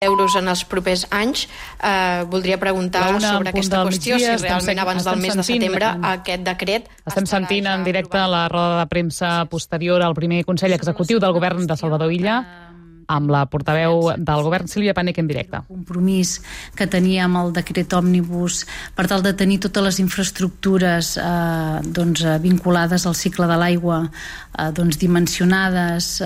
euros en els propers anys. Voldria preguntar sobre aquesta qüestió, si realment abans del mes de setembre aquest decret... Estem sentint en directe la roda de premsa posterior al primer Consell Executiu del Govern de Salvador Illa, amb la portaveu del Govern, Sílvia Panek, en directe. El compromís que tenia amb el decret òmnibus per tal de tenir totes les infraestructures vinculades al cicle de l'aigua dimensionades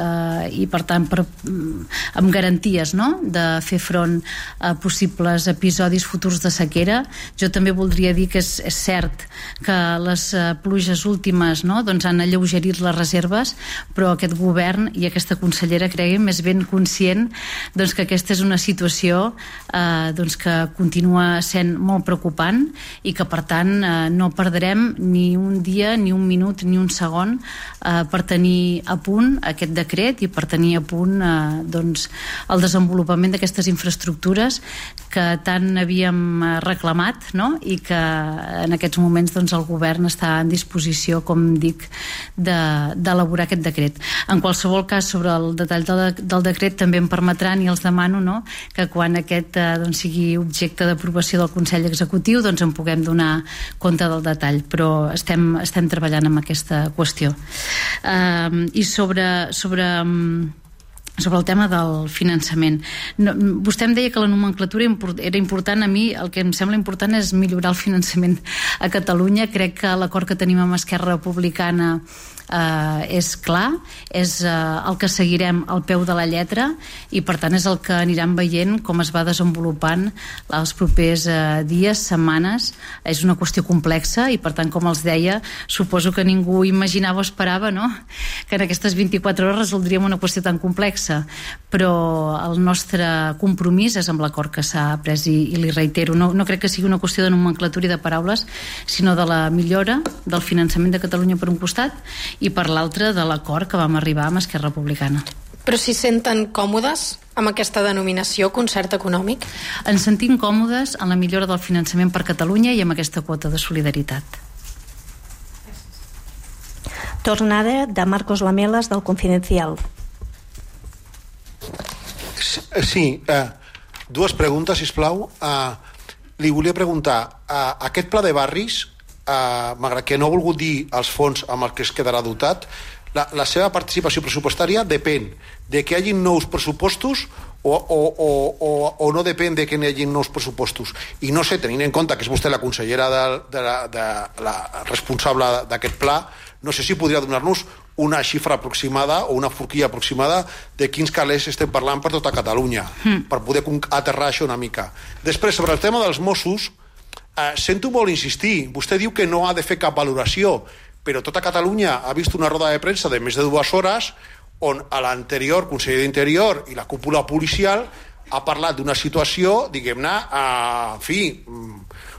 i per tant amb garanties de fer front a possibles episodis futurs de sequera. Jo també voldria dir que és cert que les pluges últimes han alleugerit les reserves, però aquest govern i aquesta consellera creiem és ben conscient que aquesta és una situació que continua sent molt preocupant i que per tant no perdrem ni un dia, ni un minut, ni un segon per tenir a punt aquest decret i per tenir a punt el desenvolupament d'aquestes infraestructures que tant havíem reclamat i que en aquests moments el govern està en disposició, com dic, d'elaborar aquest decret. En qualsevol cas, sobre el detall del decret també em permetran i els demano que quan aquest sigui objecte d'aprovació del Consell Executiu en puguem donar compte del detall, però estem treballant en aquesta qüestió. I sobre el tema del finançament, vostè em deia que la nomenclatura era important. A mi el que em sembla important és millorar el finançament a Catalunya. Crec que l'acord que tenim amb Esquerra Republicana és clar, és el que seguirem al peu de la lletra i per tant és el que aniran veient com es va desenvolupant els propers dies, setmanes. És una qüestió complexa i per tant, com els deia, suposo que ningú imaginava o esperava que en aquestes 24 hores resoldríem una qüestió tan complexa, però el nostre compromís és amb l'acord que s'ha pres i li reitero, no crec que sigui una qüestió de nomenclatura i de paraules, sinó de la millora del finançament de Catalunya per un costat i per l'altre de l'acord que vam arribar amb Esquerra Republicana. Però s'hi senten còmodes amb aquesta denominació, concert econòmic? Ens sentim còmodes en la millora del finançament per Catalunya i amb aquesta quota de solidaritat. Tornada de Marcos Lamelas, del Confidencial. Sí, dues preguntes, sisplau. Li volia preguntar, aquest pla de barris, malgrat que no ha volgut dir els fons amb els que es quedarà dotat, la seva participació pressupostària depèn de que hi hagi nous pressupostos o no depèn de que hi hagi nous pressupostos. I no sé, tenint en compte que és vostè la consellera la responsable d'aquest pla, no sé si podria donar-nos una xifra aproximada o una forquilla aproximada de quins calés estem parlant per tota Catalunya, per poder aterrar això una mica. Després, sobre el tema dels Mossos, sento molt insistir. Vostè diu que no ha de fer cap valoració, però tota Catalunya ha vist una roda de premsa de més de 2 hores on l'anterior conseller d'Interior i la cúpula policial ha parlat d'una situació, diguem-ne,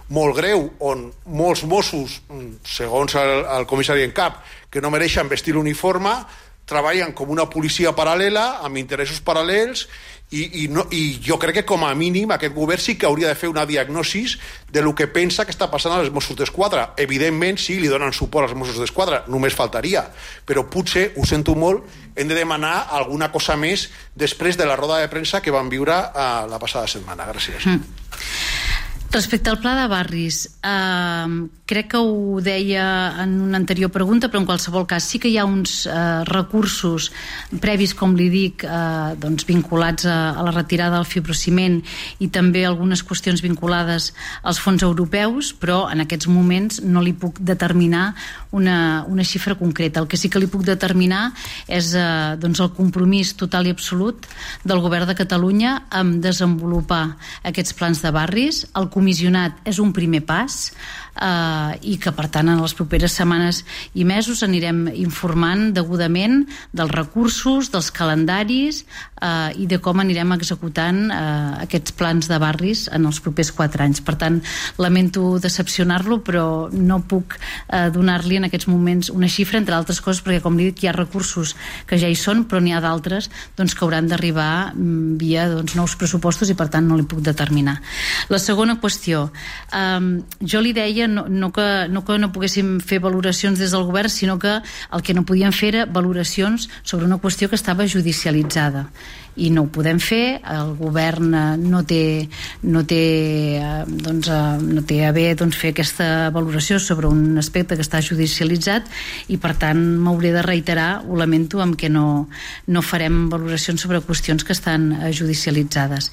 molt greu, on molts Mossos, segons el comissari en cap, que no mereixen vestir l'uniforme, treballen com una policia paral·lela, amb interessos paral·lels, i jo crec que com a mínim aquest govern sí que hauria de fer una diagnosi de lo que pensa que està passant als Mossos d'Esquadra. Evidentment, sí, li donen suport als Mossos d'Esquadra, només faltaria, però potser, ho sento molt, hem de demanar alguna cosa més després de la roda de premsa que vam viure la passada setmana. Gràcies. Respecte al pla de barris, crec que ho deia en una anterior pregunta, però en qualsevol cas sí que hi ha uns recursos previs, com li dic, vinculats a la retirada del fibrociment i també algunes qüestions vinculades als fons europeus, però en aquests moments no li puc determinar una xifra concreta. El que sí que li puc determinar és el compromís total i absolut del Govern de Catalunya en desenvolupar aquests plans de barris. El comissionat és un primer pas i que per tant en les properes setmanes i mesos anirem informant degudament dels recursos, dels calendaris i de com anirem executant aquests plans de barris en els propers 4 anys. Per tant, lamento decepcionar-lo, però no puc donar-li en aquests moments una xifra, entre altres coses perquè, com li dic, hi ha recursos que ja hi són, però n'hi ha d'altres que hauran d'arribar via nous pressupostos i per tant no li puc determinar. La segona qüestió, jo li deia no que no poguéssim fer valoracions des del govern, sinó que el que no podíem fer era valoracions sobre una qüestió que estava judicialitzada. i no ho podem fer. El govern no té a bé fer aquesta valoració sobre un aspecte que està judicialitzat i per tant m'hauré de reiterar, ho lamento, amb què no farem valoracions sobre qüestions que estan judicialitzades.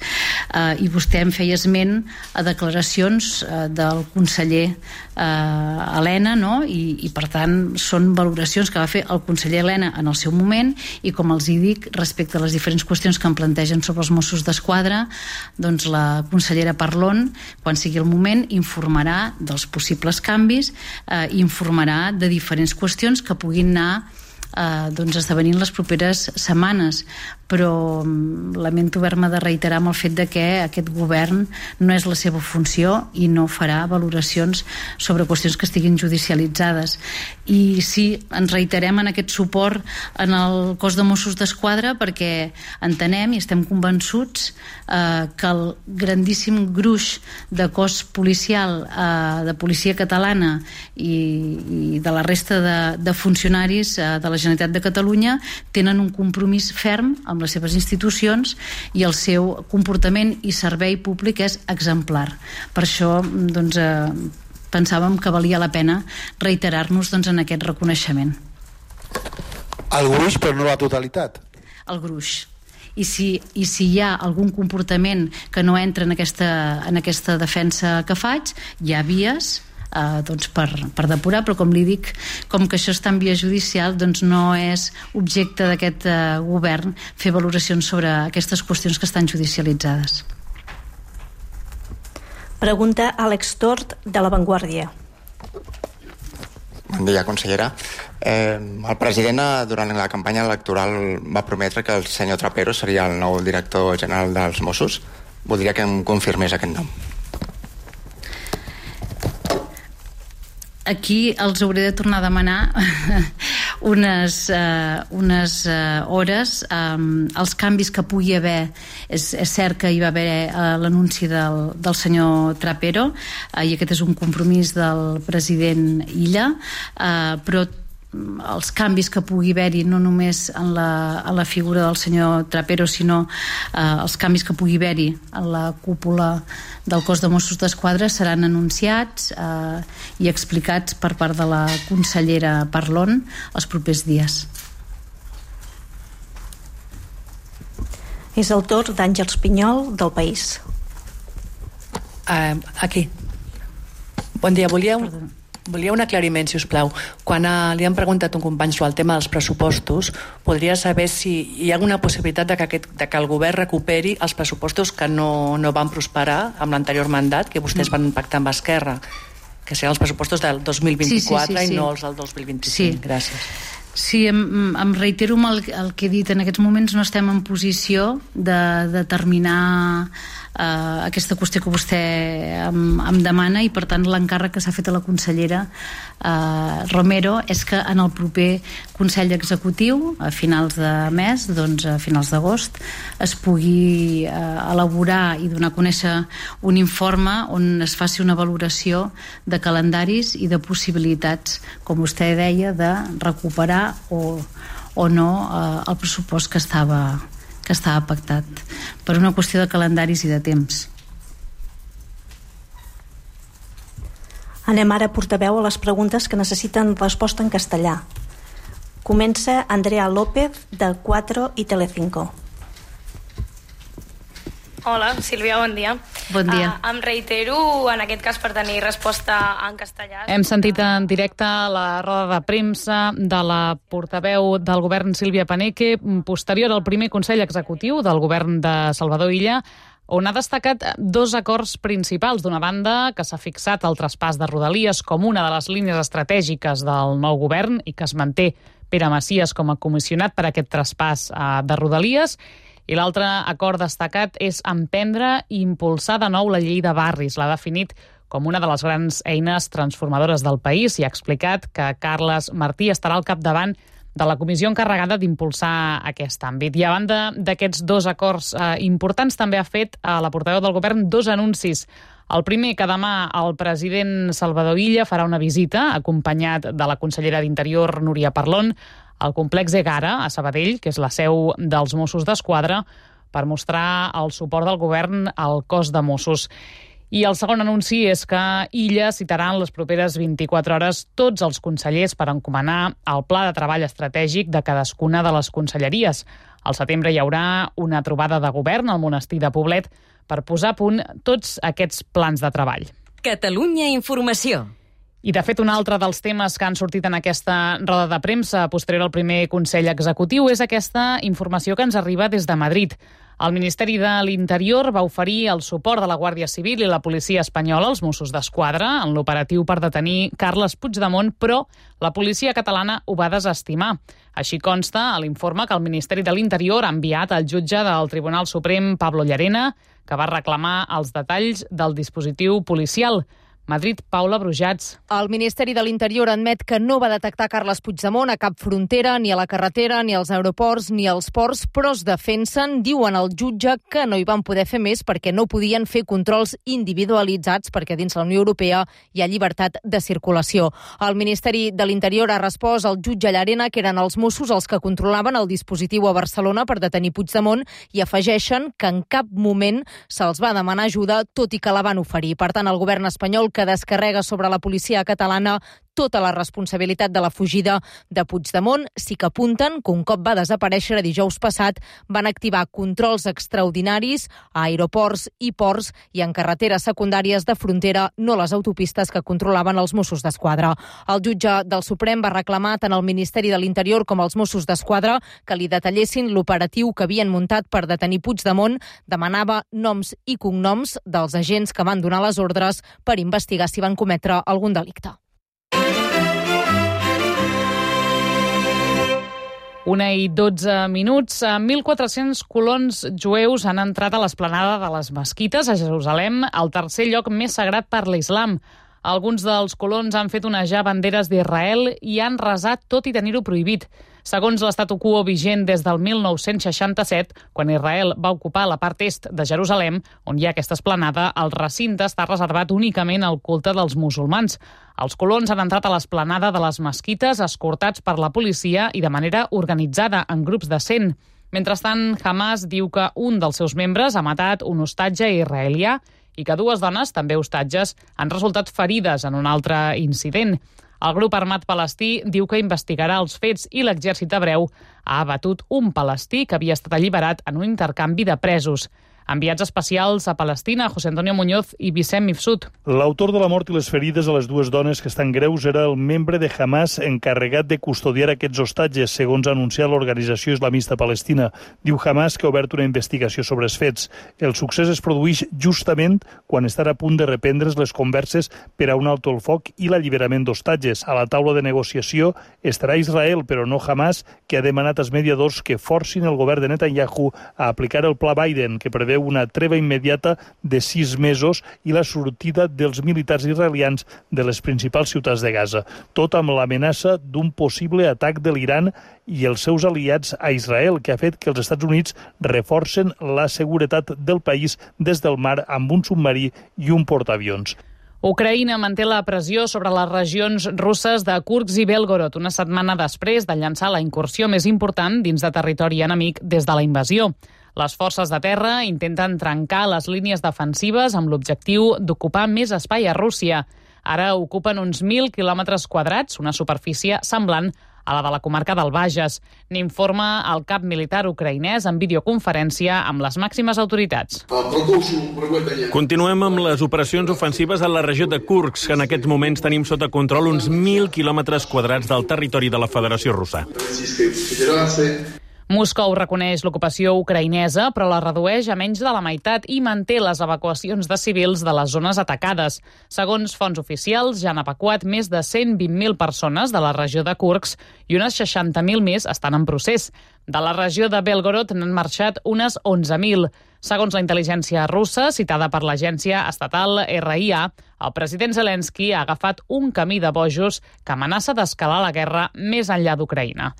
I vostè em feia esment a declaracions del conseller Elena, no? I per tant són valoracions que va fer el conseller Elena en el seu moment, i com els hi dic, respecte a les diferents qüestions que em plantegen sobre els Mossos d'Esquadra, doncs la consellera Parlon, quan sigui el moment, informarà dels possibles canvis, informarà de diferents qüestions que puguin anar esdevenint les properes setmanes, però lamento haver-me de reiterar amb el fet de que aquest govern no és la seva funció i no farà valoracions sobre qüestions que estiguin judicialitzades. I sí, ens reiterem en aquest suport en el cos de Mossos d'Esquadra perquè entenem i estem convençuts que el grandíssim gruix de cos policial, de policia catalana i de la resta de funcionaris de la Generalitat de Catalunya tenen un compromís ferm amb les seves institucions i el seu comportament i servei públic és exemplar. Per això pensàvem que valia la pena reiterar-nos en aquest reconeixement. El gruix, però no la totalitat. El gruix. I si hi ha algun comportament que no entra en aquesta defensa que faig, hi ha vies per depurar, però com li dic, com que això està en via judicial, doncs no és objecte d'aquest govern fer valoracions sobre aquestes qüestions que estan judicialitzades. Pregunta Àlex Tort, de La Vanguardia. Bon dia, consellera. El president durant la campanya electoral va prometre que el senyor Trapero seria el nou director general dels Mossos. Voldria que em confirmés aquest nom. Aquí els hauré de tornar a demanar unes hores. Els canvis que pugui haver, és cert que hi va haver l'anunci del senyor Trapero, i aquest és un compromís del president Illa, però els canvis que pugui haver-hi no només en la figura del senyor Trapero, sinó els canvis que pugui haver-hi en la cúpula del cos de Mossos d'Esquadra seran anunciats i explicats per part de la consellera Parlon els propers dies. És el torn d'Àngels Pinyol, del País. Aquí. Bon dia, volia un aclariment, si us plau. Quan li han preguntat un company sobre el tema dels pressupostos, podria saber si hi ha alguna possibilitat de que el govern recuperi els pressupostos que no van prosperar amb l'anterior mandat, que vostès van pactar amb Esquerra, que seran els pressupostos del 2024 i no els del 2025. Sí. Gràcies. Sí, em reitero amb el que he dit. En aquests moments no estem en posició de determinar aquesta qüestió que vostè em demana, i per tant l'encàrrec que s'ha fet a la consellera Romero és que en el proper Consell Executiu, a finals de mes, a finals d'agost, es pugui elaborar i donar a conèixer un informe on es faci una valoració de calendaris i de possibilitats, com vostè deia, de recuperar o no el pressupost que estava pactat, per una qüestió de calendaris i de temps. Anem ara, portaveu, a les preguntes que necessiten resposta en castellà. Comença Andrea López, del 4 i Telecinco. Hola, Sílvia, bon dia. Bon dia. Em reitero, en aquest cas, per tenir resposta en castellà. Hem sentit en directe la roda de premsa de la portaveu del govern, Sílvia Paneque, posterior al primer Consell Executiu del govern de Salvador Illa, on ha destacat dos acords principals. D'una banda, que s'ha fixat el traspàs de Rodalies com una de les línies estratègiques del nou govern i que es manté Pere Macias com a comissionat per a aquest traspàs de Rodalies. I l'altre acord destacat és emprendre i impulsar de nou la llei de barris. L'ha definit com una de les grans eines transformadores del país i ha explicat que Carles Martí estarà al capdavant de la comissió encarregada d'impulsar aquest àmbit. I a banda d'aquests dos acords importants, també ha fet a la portaveu del govern dos anuncis. El primer, que demà el president Salvador Illa farà una visita, acompanyat de la consellera d'Interior, Núria Parlon, al complex Egara, a Sabadell, que és la seu dels Mossos d'Esquadra, per mostrar el suport del govern al cos de Mossos. I el segon anunci és que Illa citarà en les properes 24 hores tots els consellers per encomanar el pla de treball estratègic de cadascuna de les conselleries. Al setembre hi haurà una trobada de govern al monestir de Poblet per posar a punt tots aquests plans de treball. Catalunya Informació. I, de fet, un altre dels temes que han sortit en aquesta roda de premsa posterior al primer Consell Executiu és aquesta informació que ens arriba des de Madrid. El Ministeri de l'Interior va oferir el suport de la Guàrdia Civil i la policia espanyola als Mossos d'Esquadra en l'operatiu per detenir Carles Puigdemont, però la policia catalana ho va desestimar. Així consta a l'informe que el Ministeri de l'Interior ha enviat al jutge del Tribunal Suprem, Pablo Llarena, que va reclamar els detalls del dispositiu policial. Madrid, Paula Brujats. El Ministeri de l'Interior admet que no va detectar Carles Puigdemont a cap frontera, ni a la carretera, ni als aeroports, ni als ports, però es defensen, diuen al jutge, que no hi van poder fer més perquè no podien fer controls individualitzats perquè dins la Unió Europea hi ha llibertat de circulació. El Ministeri de l'Interior ha respost al jutge Llarena que eren els Mossos els que controlaven el dispositiu a Barcelona per detenir Puigdemont i afegeixen que en cap moment se'ls va demanar ajuda, tot i que la van oferir. Per tant, el govern espanyol que descarrega sobre la policia catalana tota la responsabilitat de la fugida de Puigdemont. Sí que apunten que un cop va desaparèixer dijous passat van activar controls extraordinaris a aeroports i ports i en carreteres secundàries de frontera, no les autopistes que controlaven els Mossos d'Esquadra. El jutge del Suprem va reclamar tant al Ministeri de l'Interior com als Mossos d'Esquadra que li detallessin l'operatiu que havien muntat per detenir Puigdemont. Demanava noms i cognoms dels agents que van donar les ordres per investigar si van cometre algun delicte. 1:12. 1.400 colons jueus han entrat a l'esplanada de les mesquites a Jerusalem, el tercer lloc més sagrat per l'islam. Alguns dels colons han fet onejar banderes d'Israel i han resat tot i tenir-ho prohibit. Segons l'estatu quo vigent des del 1967, quan Israel va ocupar la part est de Jerusalem, on hi ha aquesta esplanada, el recinte està reservat únicament al culte dels musulmans. Els colons han entrat a l'esplanada de les mesquites escortats per la policia i de manera organitzada, en grups de 100. Mentrestant, Hamas diu que un dels seus membres ha matat un hostatge israelià i que dues dones, també hostatges, han resultat ferides en un altre incident. El grup armat palestí diu que investigarà els fets i l'exèrcit hebreu ha abatut un palestí que havia estat alliberat en un intercanvi de presos. Enviats especials a Palestina, José Antonio Muñoz i Vicent Mifsud. L'autor de la mort i les ferides a les dues dones que estan greus era el membre de Hamas encarregat de custodiar aquests hostatges, segons ha anunciat l'organització islamista palestina. Diu Hamas que ha obert una investigació sobre els fets. El succés es produeix justament quan estan a punt de reprendre's les converses per a un alto el foc i l'alliberament d'hostatges. A la taula de negociació estarà Israel, però no Hamas, que ha demanat als mediadors que forcin el govern de Netanyahu a aplicar el pla Biden, que preveu una treva immediata de 6 mesos i la sortida dels militars israelians de les principals ciutats de Gaza. Tot amb l'amenaça d'un possible atac de l'Iran i els seus aliats a Israel, que ha fet que els Estats Units reforcen la seguretat del país des del mar amb un submarí i un portaavions. Ucraïna manté la pressió sobre les regions russes de Kursk i Belgorod, una setmana després de llançar la incursió més important dins de territori enemic des de la invasió. Les forces de terra intenten trencar les línies defensives amb l'objectiu d'ocupar més espai a Rússia. Ara ocupen uns 1.000 quilòmetres quadrats, una superfície semblant a la de la comarca del Bages. N'informa el cap militar ucraïnès en videoconferència amb les màximes autoritats. Continuem amb les operacions ofensives a la regió de Kursk. En aquests moments tenim sota control uns 1.000 quilòmetres quadrats del territori de la Federació Russa. Moscou reconeix l'ocupació ucraïnesa, però la redueix a menys de la meitat i manté les evacuacions de civils de les zones atacades. Segons fonts oficials, ja han evacuat més de 120.000 persones de la regió de Kursk i unes 60.000 més estan en procés. De la regió de Belgorod n'han marxat unes 11.000. Segons la intel·ligència russa, citada per l'agència estatal RIA, el president Zelensky ha agafat un camí de bojos que amenaça d'escalar la guerra més enllà d'Ucraïna.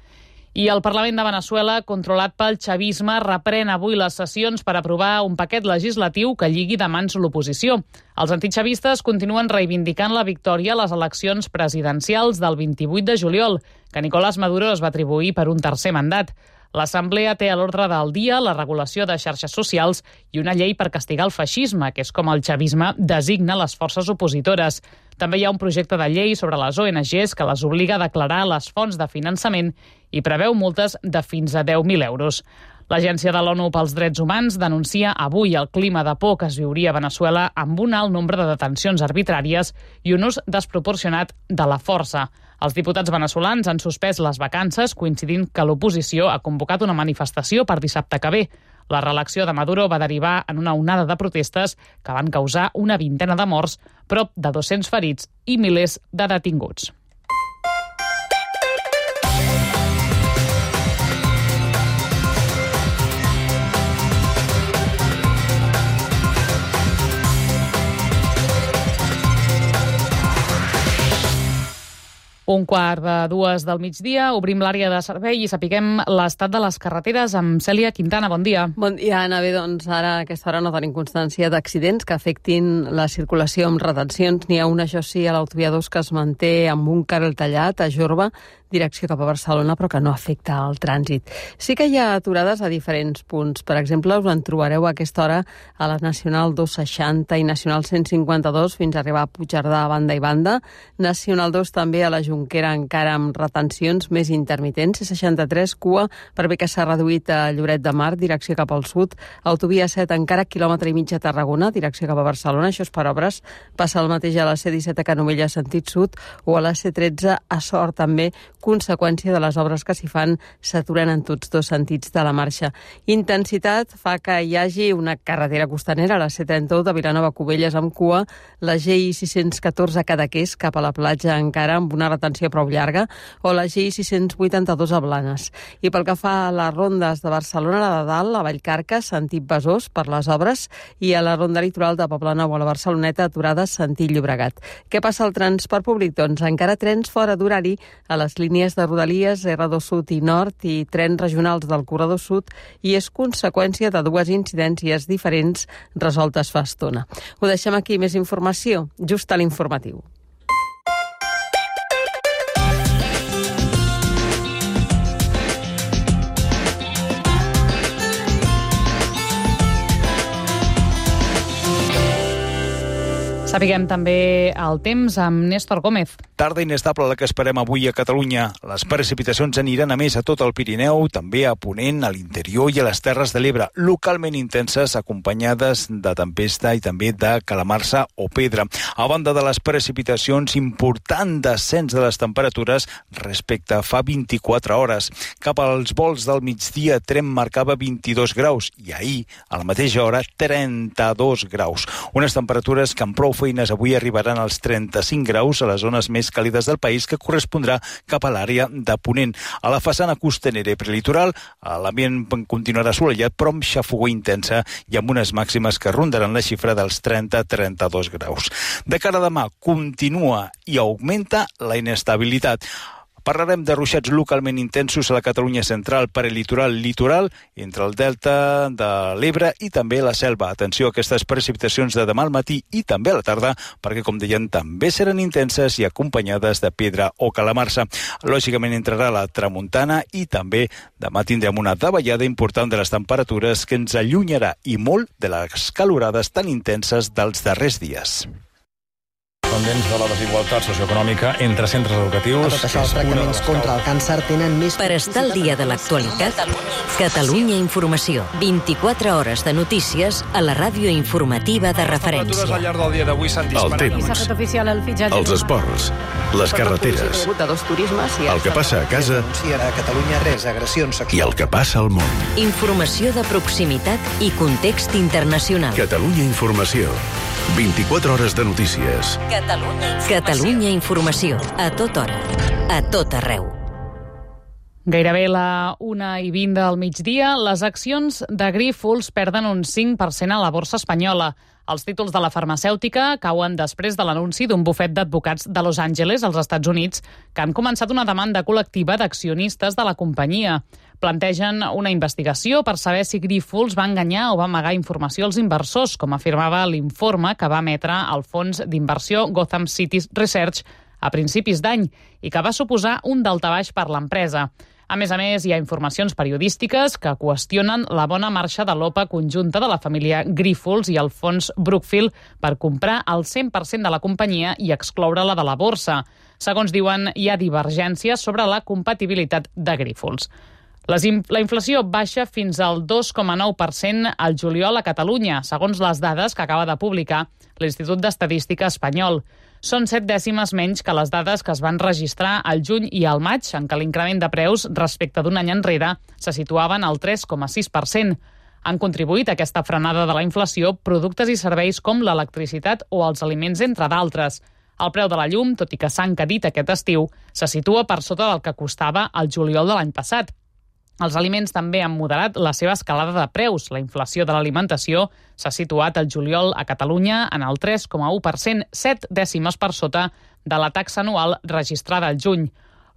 I el Parlament de Veneçuela, controlat pel xavisme, reprèn avui les sessions per aprovar un paquet legislatiu que lligui de mans l'oposició. Els antixavistes continuen reivindicant la victòria a les eleccions presidencials del 28 de juliol, que Nicolás Maduro es va atribuir per un tercer mandat. L'Assemblea té a l'ordre del dia la regulació de xarxes socials i una llei per castigar el feixisme, que és com el xavisme designa les forces opositores. També hi ha un projecte de llei sobre les ONGs que les obliga a declarar les fonts de finançament i preveu multes de fins a 10.000 euros. L'Agència de l'ONU pels Drets Humans denuncia avui el clima de por que es viuria a Veneçuela amb un alt nombre de detencions arbitràries i un ús desproporcionat de la força. Els diputats veneçolans han suspès les vacances, coincidint que l'oposició ha convocat una manifestació per dissabte que ve. La reelecció de Maduro va derivar en una onada de protestes que van causar una vintena de morts, prop de 200 ferits i milers de detinguts. Un quart de 2 del migdia, obrim l'àrea de servei i sapiguem l'estat de les carreteres amb Cèlia Quintana. Bon dia. Bon dia, Anna. Bé, doncs ara a aquesta hora no tenim constància d'accidents que afectin la circulació amb retencions. N'hi ha una, això sí, a l'autovia 2 que es manté amb un carril tallat a Jorba, direcció cap a Barcelona, però que no afecta el trànsit. Sí que hi ha aturades a diferents punts. Per exemple, us en trobareu a aquesta hora a la Nacional 260 i Nacional 152 fins a arribar a Puigcerdà a banda i banda. Nacional 2 també a la Jonquera, encara amb retencions més intermitents. C63, cua, per bé que s'ha reduït a Lloret de Mar, direcció cap al sud. Autovia 7, encara quilòmetre i mig a Tarragona, direcció cap a Barcelona. Això és per obres. Passa el mateix a la C17 a Canovella, sentit sud, o a la C13 a Sort, també, conseqüència de les obres que s'hi fan, s'aturen en tots dos sentits de la marxa. Intensitat fa que hi hagi una carretera costanera, la C31 de Vilanova a Cubelles amb cua, la GI 614 a Cadaqués cap a la platja encara amb una retenció prou llarga, o la GI 682 a Blanes. I pel que fa a les rondes de Barcelona, la de dalt, a Vallcarca, sentit Besòs per les obres, i a la ronda litoral de Poblenou a la Barceloneta, aturada sentit Llobregat. Què passa al transport públic? Doncs encara trens fora d'horari a les línies de Rodalies, R2 Sud i Nord i trens regionals del Corredor Sud, i és conseqüència de dues incidències diferents resoltes fa estona. Ho deixem aquí, més informació just a l'informatiu. Sapiguem també el temps amb Néstor Gómez. Tarda inestable la que esperem avui a Catalunya. Les precipitacions aniran a més a tot el Pirineu, també a Ponent, a l'interior i a les Terres de l'Ebre, localment intenses, acompanyades de tempesta i també de calamarsa o pedra. A banda de les precipitacions, important descens de les temperatures respecte a fa 24 hores. Cap als volts del migdia, Tremp marcava 22 graus i ahir, a la mateixa hora, 32 graus. Unes temperatures que amb prou feines avui arribaran als 35 graus a les zones més càlides del país, que correspondrà cap a l'àrea de Ponent. A la façana costanera i prelitoral, l'ambient continuarà assolellat, però amb xafogor intensa i amb unes màximes que rondaran la xifra dels 30-32 graus. De cara a demà, continua i augmenta la inestabilitat. Parlarem de ruixats localment intensos a la Catalunya central, prelitoral, litoral, entre el delta de l'Ebre i també la Selva. Atenció a aquestes precipitacions de demà al matí i també a la tarda, perquè, com deien, també seran intenses i acompanyades de pedra o calamarsa. Lògicament entrarà la tramuntana i també demà tindrem una davallada important de les temperatures que ens allunyarà i molt de les calorades tan intenses dels darrers dies. Pendents de la desigualtat socioeconòmica entre centres educatius. A tot això, els tractaments contra el càncer tenen més... Per estar al dia de l'actualitat, Catalunya Informació. 24 hores de notícies a la ràdio informativa de referència. Al llarg del dia d'avui s'han disparat. El temps, els esports, les carreteres, el que passa a casa i el que passa al món. Informació de proximitat i context internacional. Catalunya Informació. 24 hores de notícies. Catalunya Informació. A tota hora. A tot arreu. Gairebé la 1:20 del migdia, les accions de Grífols perden un 5% a la borsa espanyola. Els títols de la farmacèutica cauen després de l'anunci d'un bufet d'advocats de Los Angeles, als Estats Units, que han començat una demanda col·lectiva d'accionistes de la companyia. Plantegen una investigació per saber si Grífols va enganyar o va amagar informació als inversors, com afirmava l'informe que va emetre el fons d'inversió Gotham City Research a principis d'any i que va suposar un daltabaix per l'empresa. A més, hi ha informacions periodístiques que qüestionen la bona marxa de l'OPA conjunta de la família Grífols i el fons Brookfield per comprar el 100% de la companyia i excloure-la de la borsa. Segons diuen, hi ha divergències sobre la compatibilitat de Grífols. La inflació baixa fins al 2,9% al juliol a Catalunya, segons les dades que acaba de publicar l'Institut d'Estadística espanyol. Són 7 dècimes menys que les dades que es van registrar al juny i al maig, en què l'increment de preus respecte d'un any enrere se situaven al 3,6%. Han contribuït a aquesta frenada de la inflació productes i serveis com l'electricitat o els aliments, entre d'altres. El preu de la llum, tot i que s'ha encarit aquest estiu, se situa per sota del que costava al juliol de l'any passat. Els aliments també han moderat la seva escalada de preus. La inflació de l'alimentació s'ha situat al juliol a Catalunya en el 3,1%, 7 dècimes per sota de la taxa anual registrada al juny.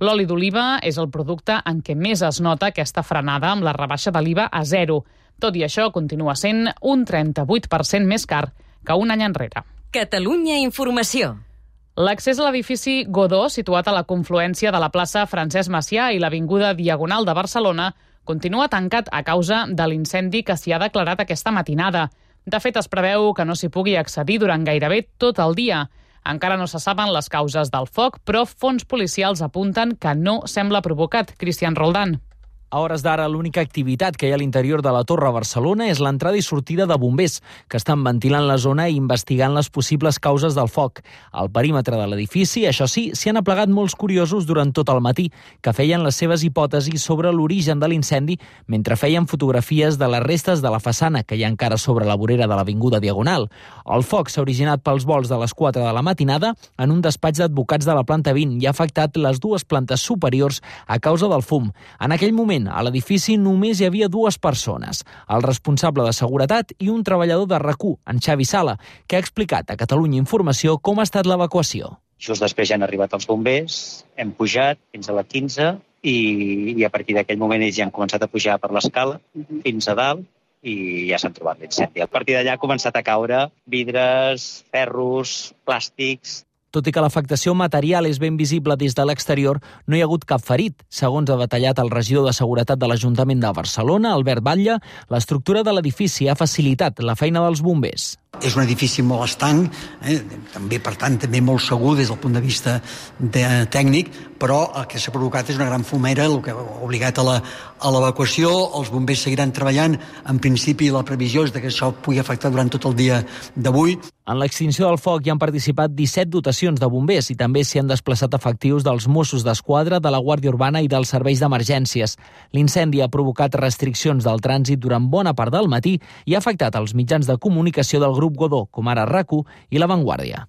L'oli d'oliva és el producte en què més es nota aquesta frenada amb la rebaixa de l'IVA a 0. Tot i això, continua sent un 38% més car que un any enrere. Catalunya Informació. L'accés a l'edifici Godó, situat a la confluència de la plaça Francesc Macià i l'avinguda Diagonal de Barcelona, continua tancat a causa de l'incendi que s'hi ha declarat aquesta matinada. De fet, es preveu que no s'hi pugui accedir durant gairebé tot el dia. Encara no se saben les causes del foc, però fons policials apunten que no sembla provocat. Cristian Roldán. A hores d'ara, l'única activitat que hi ha a l'interior de la Torre Barcelona és l'entrada i sortida de bombers, que estan ventilant la zona i investigant les possibles causes del foc. Al perímetre de l'edifici, això sí, s'hi han aplegat molts curiosos durant tot el matí, que feien les seves hipòtesis sobre l'origen de l'incendi mentre feien fotografies de les restes de la façana que hi ha encara sobre la vorera de l'avinguda Diagonal. El foc s'ha originat pels vols de les 4 de la matinada en un despatx d'advocats de la planta 20 i ha afectat les 2 plantes superiors a causa del fum. En aquell moment, a l'edifici només hi havia 2 persones, el responsable de seguretat i un treballador de RAC1, en Xavi Sala, que ha explicat a Catalunya Informació com ha estat l'evacuació. Just després ja han arribat els bombers, hem pujat fins a la 15 i a partir d'aquell moment ells ja han començat a pujar per l'escala fins a dalt i ja s'han trobat l'incendi. A partir d'allà ha començat a caure vidres, ferros, plàstics. Tot i que l'afectació material és ben visible des de l'exterior, no hi ha hagut cap ferit. Segons ha detallat el regidor de Seguretat de l'Ajuntament de Barcelona, Albert Batlle, l'estructura de l'edifici ha facilitat la feina dels bombers. És un edifici molt estanc, també, per tant, també molt segur des del punt de vista tècnic, però el que s'ha provocat és una gran fumera, el que ha obligat a l'evacuació. Els bombers seguiran treballant. En principi, la previsió és que això pugui afectar durant tot el dia d'avui. En l'extinció del foc hi han participat 17 dotacions de bombers i també s'hi han desplaçat efectius dels Mossos d'Esquadra, de la Guàrdia Urbana i dels serveis d'emergències. L'incendi ha provocat restriccions del trànsit durant bona part del matí i ha afectat els mitjans de comunicació del grup Godó, com ara RAC1 i La Vanguardia.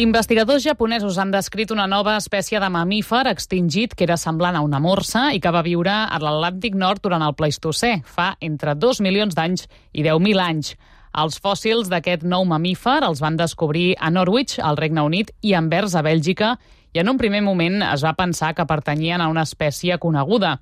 Investigadors japonesos han descrit una nova espècie de mamífer extingit que era semblant a una morsa i que va viure a l'Atlàntic Nord durant el Pleistocè, fa entre 2 milions d'anys i 10.000 anys. Els fòssils d'aquest nou mamífer els van descobrir a Norwich, al Regne Unit, i a Anvers, a Bèlgica, i en un primer moment es va pensar que pertanyien a una espècie coneguda.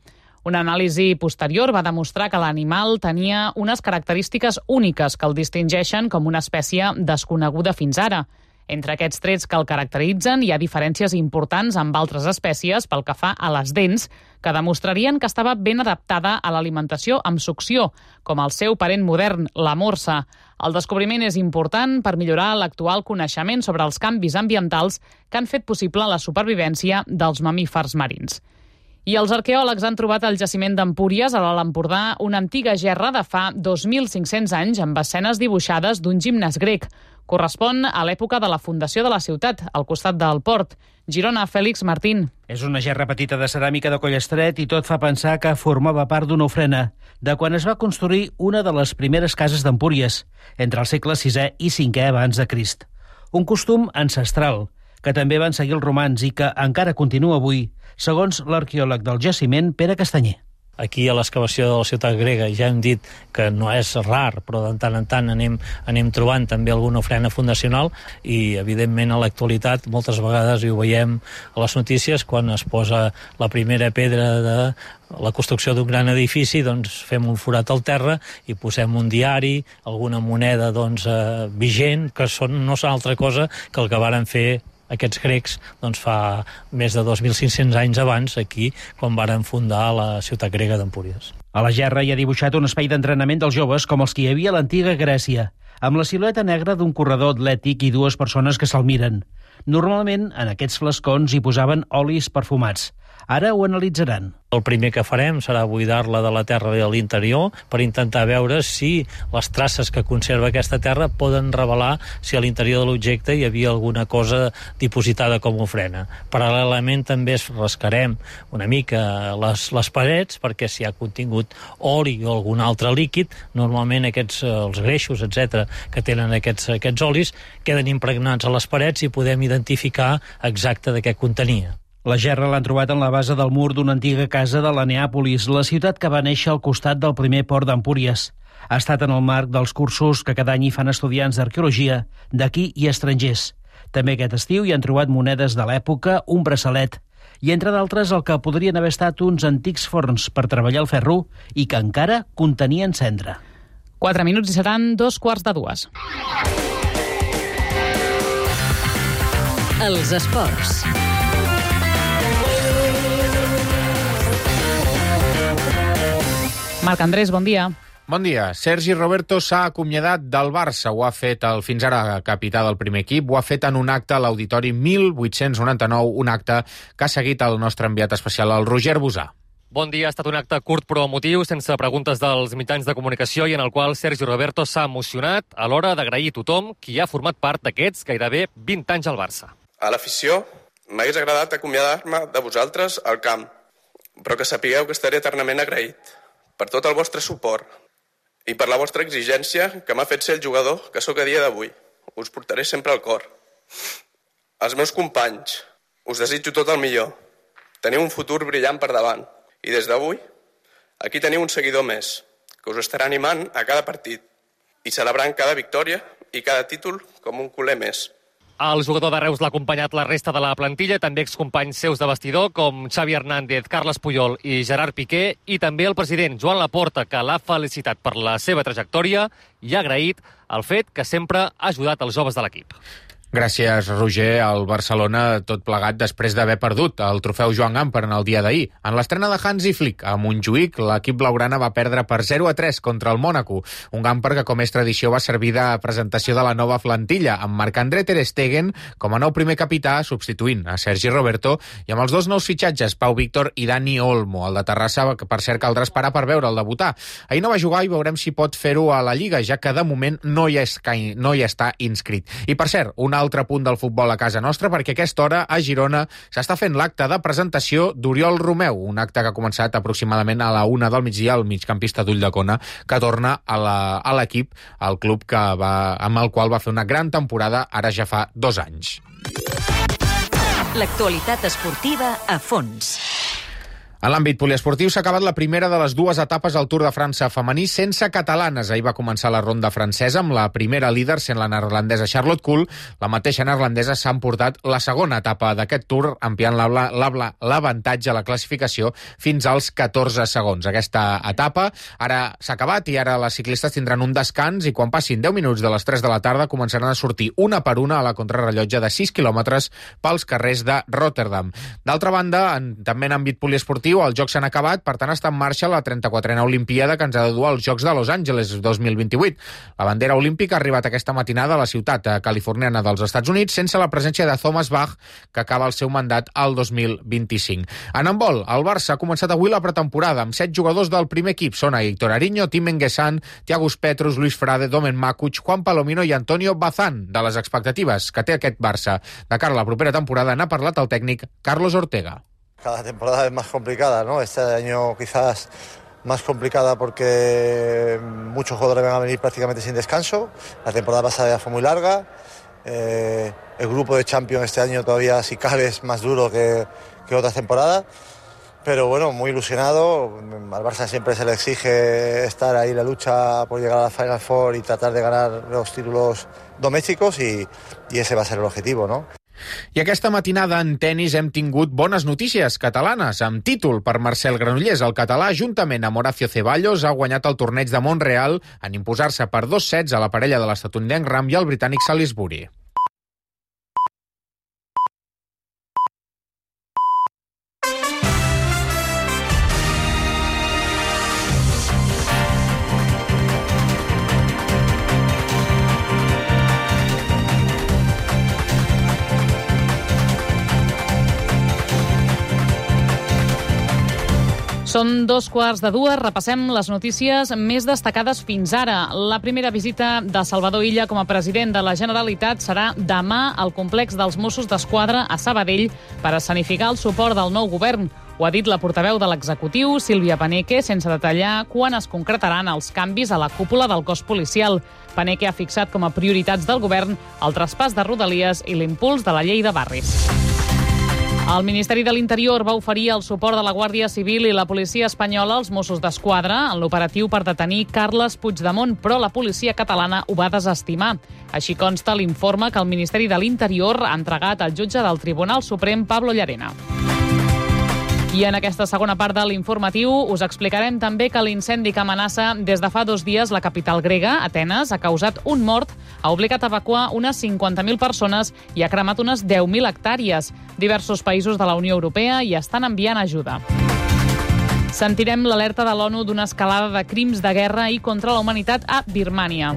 Una anàlisi posterior va demostrar que l'animal tenia unes característiques úniques que el distingeixen com una espècie desconeguda fins ara. Entre aquests trets que el caracteritzen hi ha diferències importants amb altres espècies pel que fa a les dents, que demostrarien que estava ben adaptada a l'alimentació amb succió, com el seu parent modern, la morsa. El descobriment és important per millorar l'actual coneixement sobre els canvis ambientals que han fet possible la supervivència dels mamífers marins. I els arqueòlegs han trobat al jaciment d'Empúries, a l'Alt Empordà, una antiga gerra de fa 2.500 anys amb escenes dibuixades d'un gimnàs grec. Correspon a l'època de la fundació de la ciutat, al costat del port. Girona, Fèlix Martín. És una gerra petita de ceràmica de coll estret i tot fa pensar que formava part d'una ofrena, de quan es va construir una de les primeres cases d'Empúries, entre el segle VI i V abans de Crist. Un costum ancestral, que també van seguir els romans i que encara continua avui, segons l'arqueòleg del jaciment, Pere Castanyer. aquí a l'excavació de la ciutat grega ja hem dit que no és rar, però de tant en tant anem trobant també alguna ofrena fundacional i, evidentment, a l'actualitat moltes vegades, i ho veiem a les notícies, quan es posa la primera pedra de la construcció d'un gran edifici, doncs fem un forat al terra i posem un diari, alguna moneda vigent, que no són altra cosa que el que varen fer aquests grecs fa més de 2.500 anys abans, aquí, quan varen fundar la ciutat grega d'Empúries. A la gerra hi ha dibuixat un espai d'entrenament dels joves com els que hi havia a l'antiga Grècia, amb la silueta negra d'un corredor atlètic i dues persones que se'l miren. Normalment, en aquests flascons hi posaven olis perfumats. Ara ho analitzaran. El primer que farem serà buidar-la de la terra de l'interior per intentar veure si les traces que conserva aquesta terra poden revelar si a l'interior de l'objecte hi havia alguna cosa dipositada com a ofrena. Paral·lelament també rascarem una mica les parets perquè si hi ha contingut oli o algun altre líquid, normalment els greixos, etc., que tenen aquests olis, queden impregnats a les parets i podem identificar exacte de què contenia. La gerra l'han trobat en la base del mur d'una antiga casa de la Neàpolis, la ciutat que va néixer al costat del primer port d'Empúries. Ha estat en el marc dels cursos que cada any hi fan estudiants d'arqueologia, d'aquí i estrangers. També aquest estiu hi han trobat monedes de l'època, un braçalet, i entre d'altres el que podrien haver estat uns antics forns per treballar el ferro i que encara contenien cendra. 4 minuts i seran 2:45. Els esports. Marc Andrés, bon dia. Bon dia. Sergi Roberto s'ha acomiadat del Barça. Ho ha fet el fins ara capità del primer equip. Ho ha fet en un acte a l'Auditori 1899, un acte que ha seguit el nostre enviat especial, el Roger Bosà. Bon dia. Ha estat un acte curt però emotiu, sense preguntes dels mitjans de comunicació i en el qual Sergi Roberto s'ha emocionat a l'hora d'agrair a tothom qui ha format part d'aquests gairebé 20 anys al Barça. A l'afició m'hagués agradat acomiadar-me de vosaltres al camp, però que sapigueu que estaré eternament agraït per tot el vostre suport i per la vostra exigència que m'ha fet ser el jugador que sóc a dia d'avui. Us portaré sempre al cor. Als meus companys, us desitjo tot el millor. Teniu un futur brillant per davant. I des d'avui, aquí teniu un seguidor més, que us estarà animant a cada partit i celebrant cada victòria i cada títol com un culer més. El jugador de Reus l'ha acompanyat la resta de la plantilla, també excompanys seus de vestidor com Xavi Hernández, Carles Puyol i Gerard Piqué, i també el president Joan Laporta, que l'ha felicitat per la seva trajectòria i ha agraït el fet que sempre ha ajudat els joves de l'equip. Gràcies, Roger. El Barcelona, tot plegat, després d'haver perdut el trofeu Joan Gamper en el dia d'ahir. En l'estrena de Hansi Flick a Montjuïc, l'equip blaugrana va perdre per 0-3 contra el Mònaco. Un Gamper que, com és tradició, va servir de presentació de la nova plantilla, amb Marc-André ter Stegen com a nou primer capità, substituint a Sergi Roberto, i amb els dos nous fitxatges, Pau Víctor i Dani Olmo, el de Terrassa, que per cert caldrà esperar per veure'l debutar. Ahir no va jugar i veurem si pot fer-ho a la Lliga, ja que de moment no hi està inscrit. I per cert, un altre punt del futbol a casa nostra, perquè a aquesta hora a Girona s'està fent l'acte de presentació d'Oriol Romeu, un acte que ha començat aproximadament a la 1 del migdia, el migcampista d'Ulldecona, que torna a l'equip, al club amb el qual va fer una gran temporada ara ja fa 2 anys. L'actualitat esportiva a fons. En l'àmbit poliesportiu s'ha acabat la primera de les 2 etapes al Tour de França femení sense catalanes. Ahir va començar la ronda francesa amb la primera líder sent la neerlandesa Charlotte Kool. La mateixa neerlandesa s'ha emportat la segona etapa d'aquest Tour, ampliant l'avantatge a la classificació fins als 14 segons. Aquesta etapa ara s'ha acabat i ara les ciclistes tindran un descans i quan passin 10 minuts de les 3 de la tarda començaran a sortir una per una a la contrarrellotge de 6 quilòmetres pels carrers de Rotterdam. D'altra banda, també en àmbit poliesportiu, els Jocs s'han acabat, per tant està en marxa la 34a Olimpiada que ens ha de dur als Jocs de Los Angeles 2028. La bandera olímpica ha arribat aquesta matinada a la ciutat californiana dels Estats Units sense la presència de Thomas Bach, que acaba el seu mandat al 2025. En handbol, el Barça ha començat avui la pretemporada amb 7 jugadors del primer equip. Són Héctor Ariño, Tim Enguessan, Thiago Petrus, Luis Frade, Domen Makuch, Juan Palomino i Antonio Bazán. De les expectatives que té aquest Barça de cara a la propera temporada n'ha parlat el tècnic Carlos Ortega. Cada temporada es más complicada, ¿no? Este año quizás más complicada porque muchos jugadores van a venir prácticamente sin descanso. La temporada pasada ya fue muy larga. El grupo de Champions este año todavía, si cabe, es más duro que otras temporadas. pero bueno, muy ilusionado. Al Barça siempre se le exige estar ahí en la lucha por llegar a la Final Four y tratar de ganar los títulos domésticos y ese va a ser el objetivo, ¿no? I aquesta matinada en tennis hem tingut bones notícies catalanes, amb títol per Marcel Granollers. El català, juntament amb Horacio Ceballos, ha guanyat el torneig de Montreal en imposar-se per 2 sets a la parella de l'estatunidenc Ram i el britànic Salisbury. Són 2:15, repassem les notícies més destacades fins ara. La primera visita de Salvador Illa com a president de la Generalitat serà demà al complex dels Mossos d'Esquadra a Sabadell per escenificar el suport del nou govern. Ho ha dit la portaveu de l'executiu, Sílvia Paneque, sense detallar quan es concretaran els canvis a la cúpula del cos policial. Paneque ha fixat com a prioritats del govern el traspàs de Rodalies i l'impuls de la llei de barris. El Ministeri de l'Interior va oferir el suport de la Guàrdia Civil i la policia espanyola als Mossos d'Esquadra en l'operatiu per detenir Carles Puigdemont, però la policia catalana ho va desestimar. Així consta l'informe que el Ministeri de l'Interior ha entregat al jutge del Tribunal Suprem, Pablo Llarena. I en aquesta segona part de l'informatiu us explicarem també que l'incendi que amenaça des de fa 2 dies la capital grega, Atenes, ha causat un mort, ha obligat a evacuar unes 50.000 persones i ha cremat unes 10.000 hectàrees. Diversos països de la Unió Europea hi estan enviant ajuda. Sentirem l'alerta de l'ONU d'una escalada de crims de guerra i contra la humanitat a Birmània.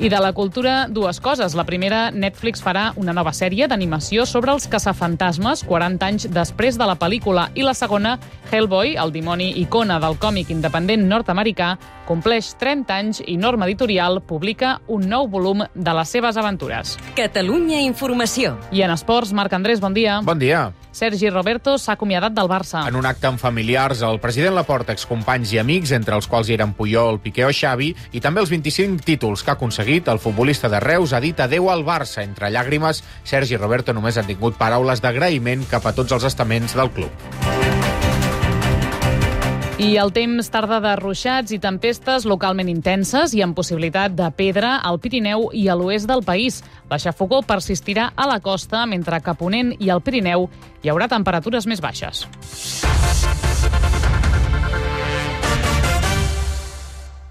I de la cultura, 2 coses. La primera, Netflix farà una nova sèrie d'animació sobre els caçafantasmes 40 anys després de la pel·lícula. I la segona, Hellboy, el dimoni icona del còmic independent nord-americà, compleix 30 anys i Norma Editorial publica un nou volum de les seves aventures. Catalunya Informació. I en esports, Marc Andrés, bon dia. Bon dia. Sergi Roberto s'ha acomiadat del Barça. En un acte amb familiars, el president Laporta, excompanys i amics, entre els quals hi eren Puyol, Piqué o Xavi, i també els 25 títols que ha aconseguit, el futbolista de Reus ha dit adeu al Barça. Entre llàgrimes, Sergi Roberto només ha tingut paraules d'agraïment cap a tots els estaments del club. I el temps tarda de ruixats i tempestes localment intenses i amb possibilitat de pedra al Pirineu i a l'oest del país. La xafogor persistirà a la costa, mentre que a Ponent i al Pirineu hi haurà temperatures més baixes.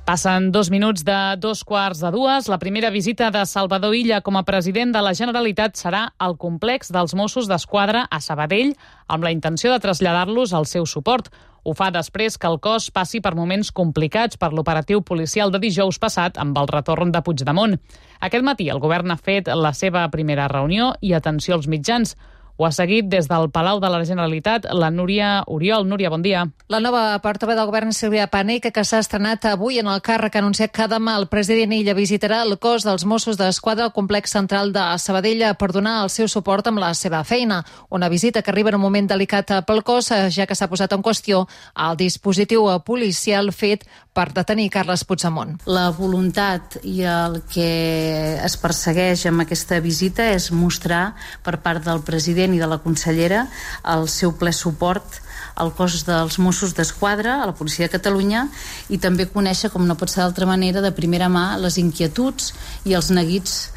Passen 2 minuts de 2:15. La primera visita de Salvador Illa com a president de la Generalitat serà al complex dels Mossos d'Esquadra a Sabadell, amb la intenció de traslladar-los el seu suport. Ho fa després que el cos passi per moments complicats per l'operatiu policial de dijous passat amb el retorn de Puigdemont. Aquest matí el govern ha fet la seva primera reunió i atenció als mitjans. Ho ha seguit des del Palau de la Generalitat la Núria Oriol. Núria, bon dia. La nova portaveu del govern, Sílvia Paneque, que s'ha estrenat avui en el càrrec, ha anunciat que demà el president Illa visitarà el cos dels Mossos d'Esquadra al complex central de Sabadell per donar el seu suport amb la seva feina. Una visita que arriba en un moment delicat pel cos, ja que s'ha posat en qüestió el dispositiu policial fet per detenir Carles Puigdemont. La voluntat i el que es persegueix amb aquesta visita és mostrar per part del president i de la consellera el seu ple suport al cos dels Mossos d'Esquadra, a la Policia de Catalunya, i també conèixer, com no pot ser d'altra manera, de primera mà les inquietuds i els neguits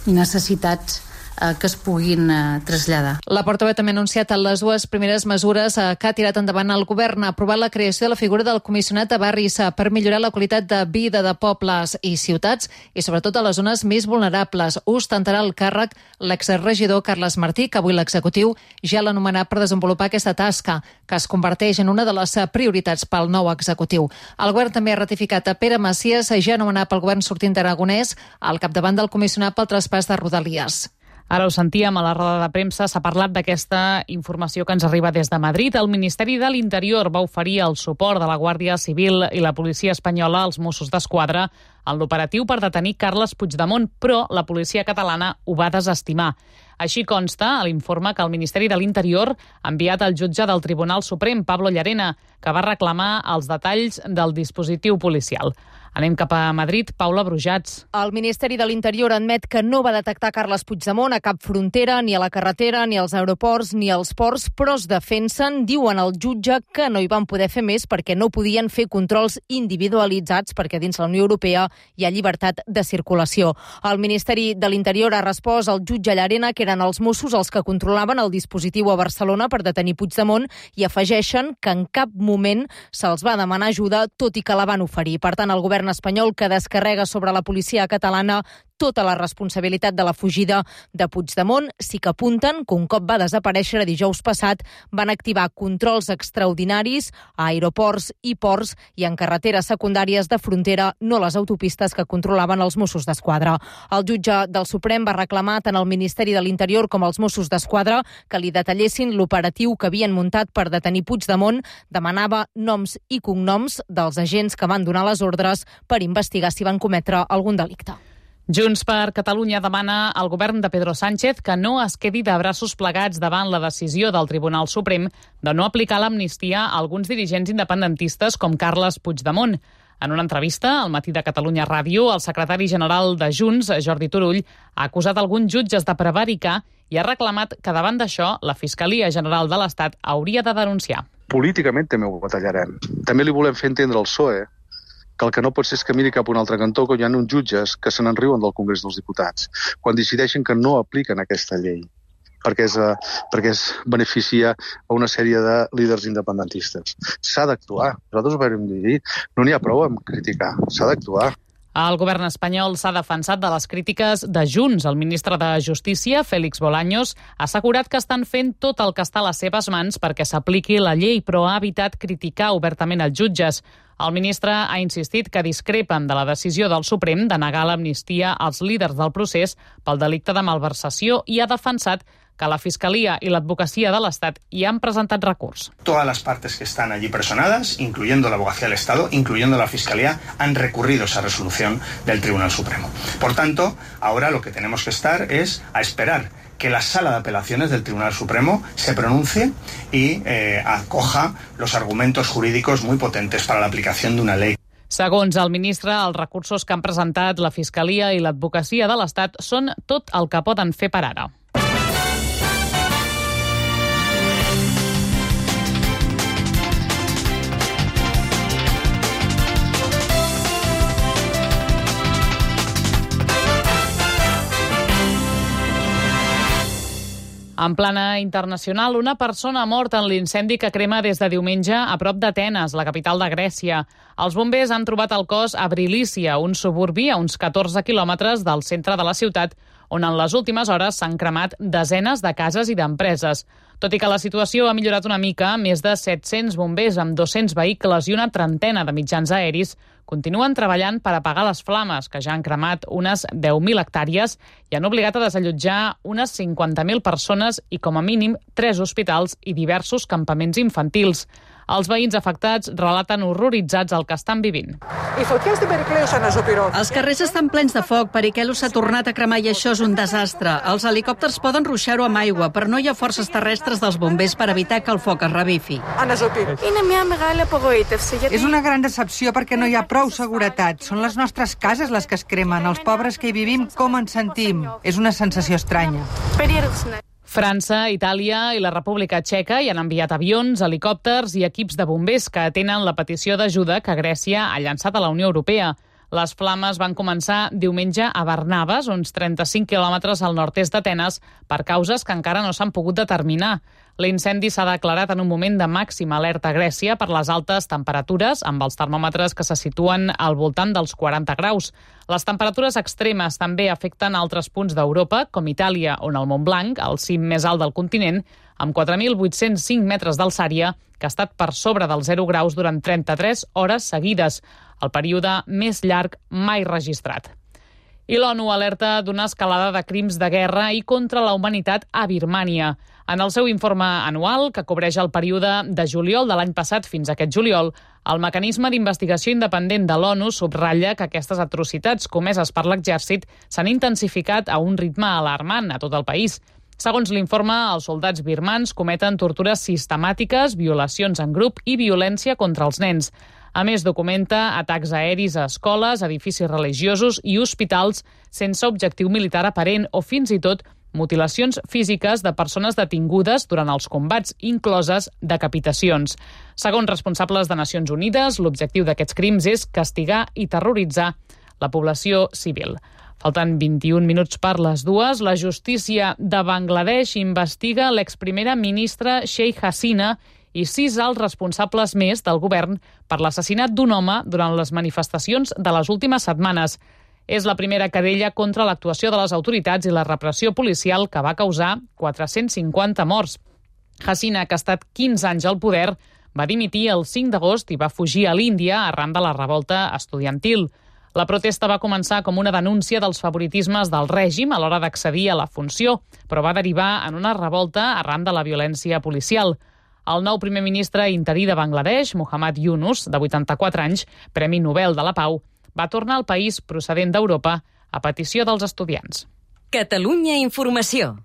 i necessitats que es puguin traslladar. La portaveu també ha anunciat les 2 primeres mesures que ha tirat endavant el govern. Ha aprovat la creació de la figura del comissionat de barris per millorar la qualitat de vida de pobles i ciutats i sobretot a les zones més vulnerables. Ostentarà el càrrec l'exregidor Carles Martí, que avui l'executiu ja l'ha anomenat per desenvolupar aquesta tasca, que es converteix en una de les prioritats pel nou executiu. El govern també ha ratificat a Pere Macias, ja anomenat pel govern sortint d'Aragonès, al capdavant del comissionat pel traspàs de Rodalies. Ara ho sentíem a la roda de premsa, s'ha parlat d'aquesta informació que ens arriba des de Madrid. El Ministeri de l'Interior va oferir el suport de la Guàrdia Civil i la policia espanyola als Mossos d'Esquadra en l'operatiu per detenir Carles Puigdemont, però la policia catalana ho va desestimar. Així consta a l'informe que el Ministeri de l'Interior ha enviat al jutge del Tribunal Suprem, Pablo Llarena, que va reclamar els detalls del dispositiu policial. Anem cap a Madrid. Paula Brujats. El Ministeri de l'Interior admet que no va detectar Carles Puigdemont a cap frontera, ni a la carretera, ni als aeroports, ni als ports, però es defensen, diuen al jutge, que no hi van poder fer més perquè no podien fer controls individualitzats perquè dins la Unió Europea hi ha llibertat de circulació. El Ministeri de l'Interior ha respost al jutge Llarena que eren els Mossos els que controlaven el dispositiu a Barcelona per detenir Puigdemont i afegeixen que en cap moment se'ls va demanar ajuda, tot i que la van oferir. Per tant, el govern espanyol que descarrega sobre la policia catalana tota la responsabilitat de la fugida de Puigdemont. Sí que apunten que un cop va desaparèixer dijous passat van activar controls extraordinaris a aeroports i ports i en carreteres secundàries de frontera, no les autopistes que controlaven els Mossos d'Esquadra. El jutge del Suprem va reclamar tant al Ministeri de l'Interior com als Mossos d'Esquadra que li detallessin l'operatiu que havien muntat per detenir Puigdemont. Demanava noms i cognoms dels agents que van donar les ordres per investigar si van cometre algun delicte. Junts per Catalunya demana al govern de Pedro Sánchez que no es quedi de braços plegats davant la decisió del Tribunal Suprem de no aplicar l'amnistia a alguns dirigents independentistes com Carles Puigdemont. En una entrevista al Matí de Catalunya Ràdio, el secretari general de Junts, Jordi Turull, ha acusat alguns jutges de prevaricar i ha reclamat que davant d'això la Fiscalia General de l'Estat hauria de denunciar. Políticament també ho batallarem. També li volem fer entendre al PSOE que el que no pot ser és que miri cap a un altre cantó, que hi ha uns jutges que se n'enriuen del Congrés dels Diputats quan decideixen que no apliquen aquesta llei perquè es beneficia a una sèrie de líders independentistes. S'ha d'actuar. Nosaltres ho vam dir, no n'hi ha prou amb criticar, s'ha d'actuar. El govern espanyol s'ha defensat de les crítiques de Junts. El ministre de Justícia, Félix Bolaños, ha assegurat que estan fent tot el que està a les seves mans perquè s'apliqui la llei, però ha evitat criticar obertament els jutges. El ministre ha insistit que discrepen de la decisió del Suprem de negar l'amnistia als líders del procés pel delicte de malversació i ha defensat que la Fiscalia y la Advocacia de l'Estat hi han presentat recurs. Todas las partes que están allí personadas, incluyendo la Abogacía del Estado, incluyendo la Fiscalía, han recurrido esa resolución del Tribunal Supremo. Por tanto, ahora lo que tenemos que estar es a esperar que la Sala de Apelaciones del Tribunal Supremo se pronuncie y acoja los argumentos jurídicos muy potentes para la aplicación de una ley. Segons el ministre, els recursos que han presentat la Fiscalia i l'Advocacia de l'Estat són tot el que poden fer per ara. En plana internacional, una persona ha mort en l'incendi que crema des de diumenge a prop d'Atenes, la capital de Grècia. Els bombers han trobat el cos a Brilícia, un suburbi a uns 14 quilòmetres del centre de la ciutat, on en les últimes hores s'han cremat desenes de cases i d'empreses. Tot i que la situació ha millorat una mica, més de 700 bombers amb 200 vehicles i una trentena de mitjans aeris continuen treballant per apagar les flames, que ja han cremat unes 10.000 hectàrees i han obligat a desallotjar unes 50.000 persones i, com a mínim, 3 hospitals i diversos campaments infantils. Els veïns afectats relaten horroritzats el que estan vivint. Els carrers estan plens de foc, Periquelo s'ha tornat a cremar i això és un desastre. Els helicòpters poden ruixar-ho amb aigua, però no hi ha forces terrestres dels bombers per evitar que el foc es revifi. És una gran decepció perquè no hi ha prou seguretat. Són les nostres cases les que es cremen. Els pobres que hi vivim, com ens sentim? És una sensació estranya. França, Itàlia i la República Txeca hi han enviat avions, helicòpters i equips de bombers que atenen la petició d'ajuda que Grècia ha llançat a la Unió Europea. Les flames van començar diumenge a Barnabas, uns 35 quilòmetres al nord-est d'Atenes, per causes que encara no s'han pogut determinar. L'incendi s'ha declarat en un moment de màxima alerta a Grècia per les altes temperatures, amb els termòmetres que se situen al voltant dels 40 graus. Les temperatures extremes també afecten altres punts d'Europa, com Itàlia, on el Montblanc, el cim més alt del continent, amb 4.805 metres d'alçària, que ha estat per sobre dels 0 graus durant 33 hores seguides, el període més llarg mai registrat. I l'ONU alerta d'una escalada de crims de guerra i contra la humanitat a Birmània. En el seu informe anual, que cobreix el període de juliol de l'any passat fins a aquest juliol, el mecanisme d'investigació independent de l'ONU subratlla que aquestes atrocitats comeses per l'exèrcit s'han intensificat a un ritme alarmant a tot el país. Segons l'informe, els soldats birmans cometen tortures sistemàtiques, violacions en grup i violència contra els nens. A més, documenta atacs aeris a escoles, edificis religiosos i hospitals sense objectiu militar aparent o fins i tot mutilacions físiques de persones detingudes durant els combats, incloses decapitacions. Segons responsables de Nacions Unides, l'objectiu d'aquests crims és castigar i terroritzar la població civil. Faltant 21 minuts per les 2, la justícia de Bangladesh investiga l'exprimera ministra Sheikh Hasina i 6 alts responsables més del govern per l'assassinat d'un home durant les manifestacions de les últimes setmanes. És la primera querella contra l'actuació de les autoritats i la repressió policial que va causar 450 morts. Hasina, que ha estat 15 anys al poder, va dimitir el 5 d'agost i va fugir a l'Índia arran de la revolta estudiantil. La protesta va començar com una denúncia dels favoritismes del règim a l'hora d'accedir a la funció, però va derivar en una revolta arran de la violència policial. El nou primer ministre interí de Bangladesh, Muhammad Yunus, de 84 anys, Premi Nobel de la Pau, va tornar al país procedent d'Europa a petició dels estudiants. Catalunya Informació.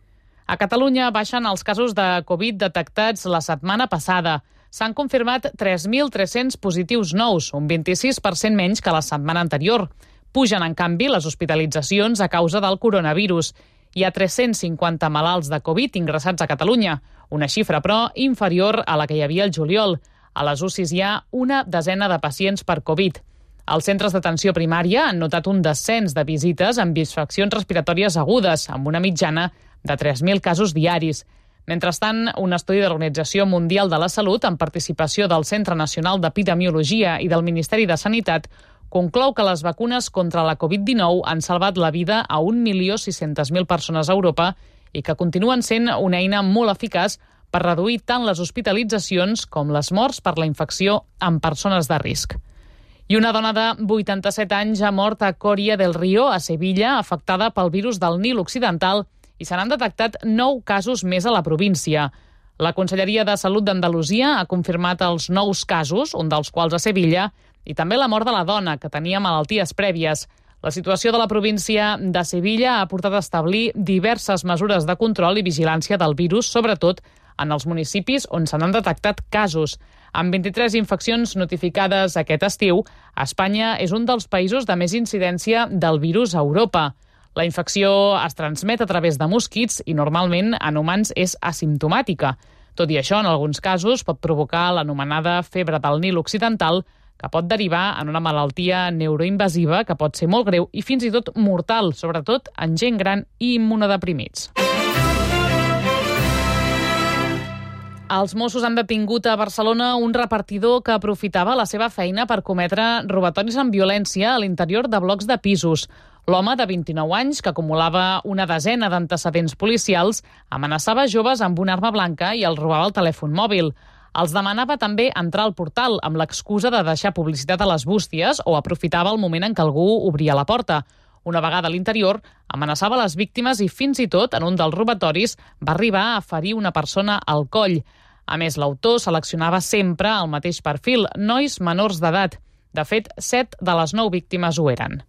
A Catalunya baixen els casos de Covid detectats la setmana passada. S'han confirmat 3.300 positius nous, un 26% menys que la setmana anterior. Pugen, en canvi, les hospitalitzacions a causa del coronavirus. Hi ha 350 malalts de Covid ingressats a Catalunya, una xifra, però, inferior a la que hi havia el juliol. A les UCIs hi ha una desena de pacients per Covid. Els centres d'atenció primària han notat un descens de visites amb infeccions respiratòries agudes, amb una mitjana de 3.000 casos diaris. Mentrestant, un estudi de l'Organització Mundial de la Salut, amb participació del Centre Nacional d'Epidemiologia i del Ministeri de Sanitat, conclou que les vacunes contra la Covid-19 han salvat la vida a 1.600.000 persones a Europa i que continuen sent una eina molt eficaç per reduir tant les hospitalitzacions com les morts per la infecció en persones de risc. I una dona de 87 anys ha mort a Coria del Río, a Sevilla, afectada pel virus del Nil Occidental, i se n'han detectat 9 casos més a la província. La Conselleria de Salut d'Andalusia ha confirmat els 9 casos, un dels quals a Sevilla, i també la mort de la dona, que tenia malalties prèvies. La situació de la província de Sevilla ha portat a establir diverses mesures de control i vigilància del virus, sobretot en els municipis on se n'han detectat casos. Amb 23 infeccions notificades aquest estiu, Espanya és un dels països de més incidència del virus a Europa. La infecció es transmet a través de mosquits i normalment en humans és asimptomàtica. Tot i això, en alguns casos pot provocar l'anomenada febre del Nil Occidental, que pot derivar en una malaltia neuroinvasiva que pot ser molt greu i fins i tot mortal, sobretot en gent gran i immunodeprimits. Els Mossos han detingut a Barcelona un repartidor que aprofitava la seva feina per cometre robatoris amb violència a l'interior de blocs de pisos. L'home, de 29 anys, que acumulava una desena d'antecedents policials, amenaçava joves amb una arma blanca i els robava el telèfon mòbil. Els demanava també entrar al portal amb l'excusa de deixar publicitat a les bústies o aprofitava el moment en què algú obria la porta. Una vegada a l'interior, amenaçava les víctimes i fins i tot, en un dels robatoris, va arribar a ferir una persona al coll. A més, l'autor seleccionava sempre el mateix perfil, nois menors d'edat. De fet, 7 de les 9 víctimes ho eren.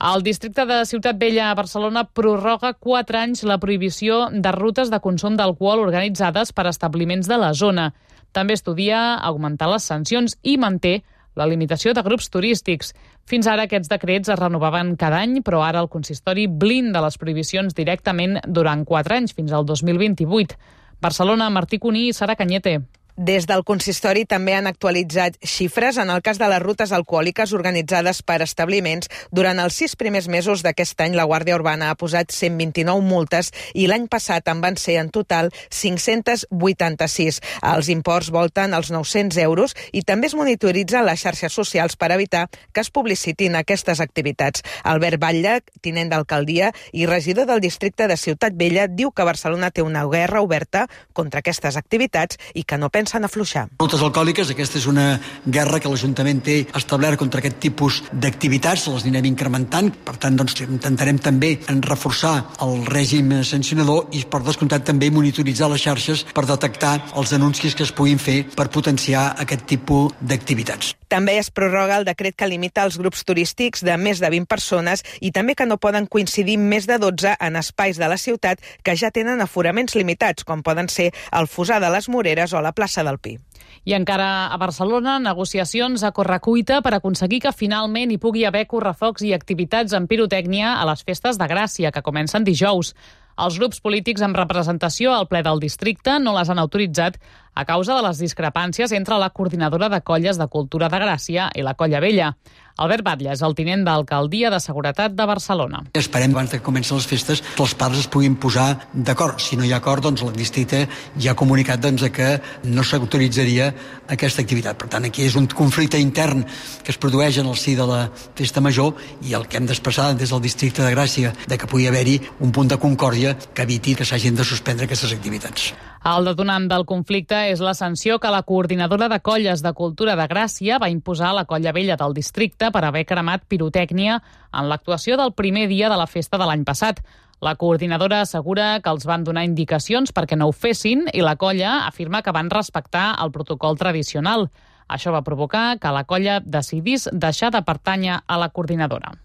El districte de Ciutat Vella a Barcelona prorroga 4 anys la prohibició de rutes de consum d'alcohol organitzades per establiments de la zona. També estudia augmentar les sancions i manté la limitació de grups turístics. Fins ara aquests decrets es renovaven cada any, però ara el consistori blinda les prohibicions directament durant 4 anys, fins al 2028. Barcelona, Martí Cuní i Sara Cañete. Des del consistori també han actualitzat xifres en el cas de les rutes alcohòliques organitzades per establiments. Durant els 6 primers mesos d'aquest any, la Guàrdia Urbana ha posat 129 multes i l'any passat en van ser en total 586. Els imports volten als 900 euros i també es monitoritzen les xarxes socials per evitar que es publicitin aquestes activitats. Albert Batlle, tinent d'alcaldia i regidor del districte de Ciutat Vella, diu que Barcelona té una guerra oberta contra aquestes activitats i que no pensa comencen a afluixar. Rutes alcohòliques, aquesta és una guerra que l'Ajuntament té establert contra aquest tipus d'activitats, les anirem incrementant, per tant doncs, intentarem també reforçar el règim sancionador i per descomptat també monitoritzar les xarxes per detectar els anuncis que es puguin fer per potenciar aquest tipus d'activitats. També es prorroga el decret que limita els grups turístics de més de 20 persones i també que no poden coincidir més de 12 en espais de la ciutat que ja tenen aforaments limitats, com poden ser el Fossar de les Moreres o la plaça del Pi. I encara a Barcelona, negociacions a correcuita per aconseguir que finalment hi pugui haver correfocs i activitats amb pirotècnia a les festes de Gràcia, que comencen dijous. Els grups polítics amb representació al ple del districte no les han autoritzat a causa de les discrepàncies entre la coordinadora de colles de cultura de Gràcia i la Colla Vella. Albert Batlle és el tinent d'Alcaldia de Seguretat de Barcelona. Esperem, abans que comencin les festes, que els pares es puguin posar d'acord. Si no hi ha acord, doncs el districte ja ha comunicat que no s'autoritzaria aquesta activitat. Per tant, aquí és un conflicte intern que es produeix en el si de la festa major i el que hem d'expressar des del districte de Gràcia de que pugui haver-hi un punt de concòrdia que eviti que s'hagin de suspendre aquestes activitats. El detonant del conflicte és la sanció que la coordinadora de colles de cultura de Gràcia va imposar a la Colla Vella del districte per haver cremat pirotècnia en l'actuació del primer dia de la festa de l'any passat. La coordinadora assegura que els van donar indicacions perquè no ho fessin i la colla afirma que van respectar el protocol tradicional. Això va provocar que la colla decidís deixar de pertànyer a la coordinadora.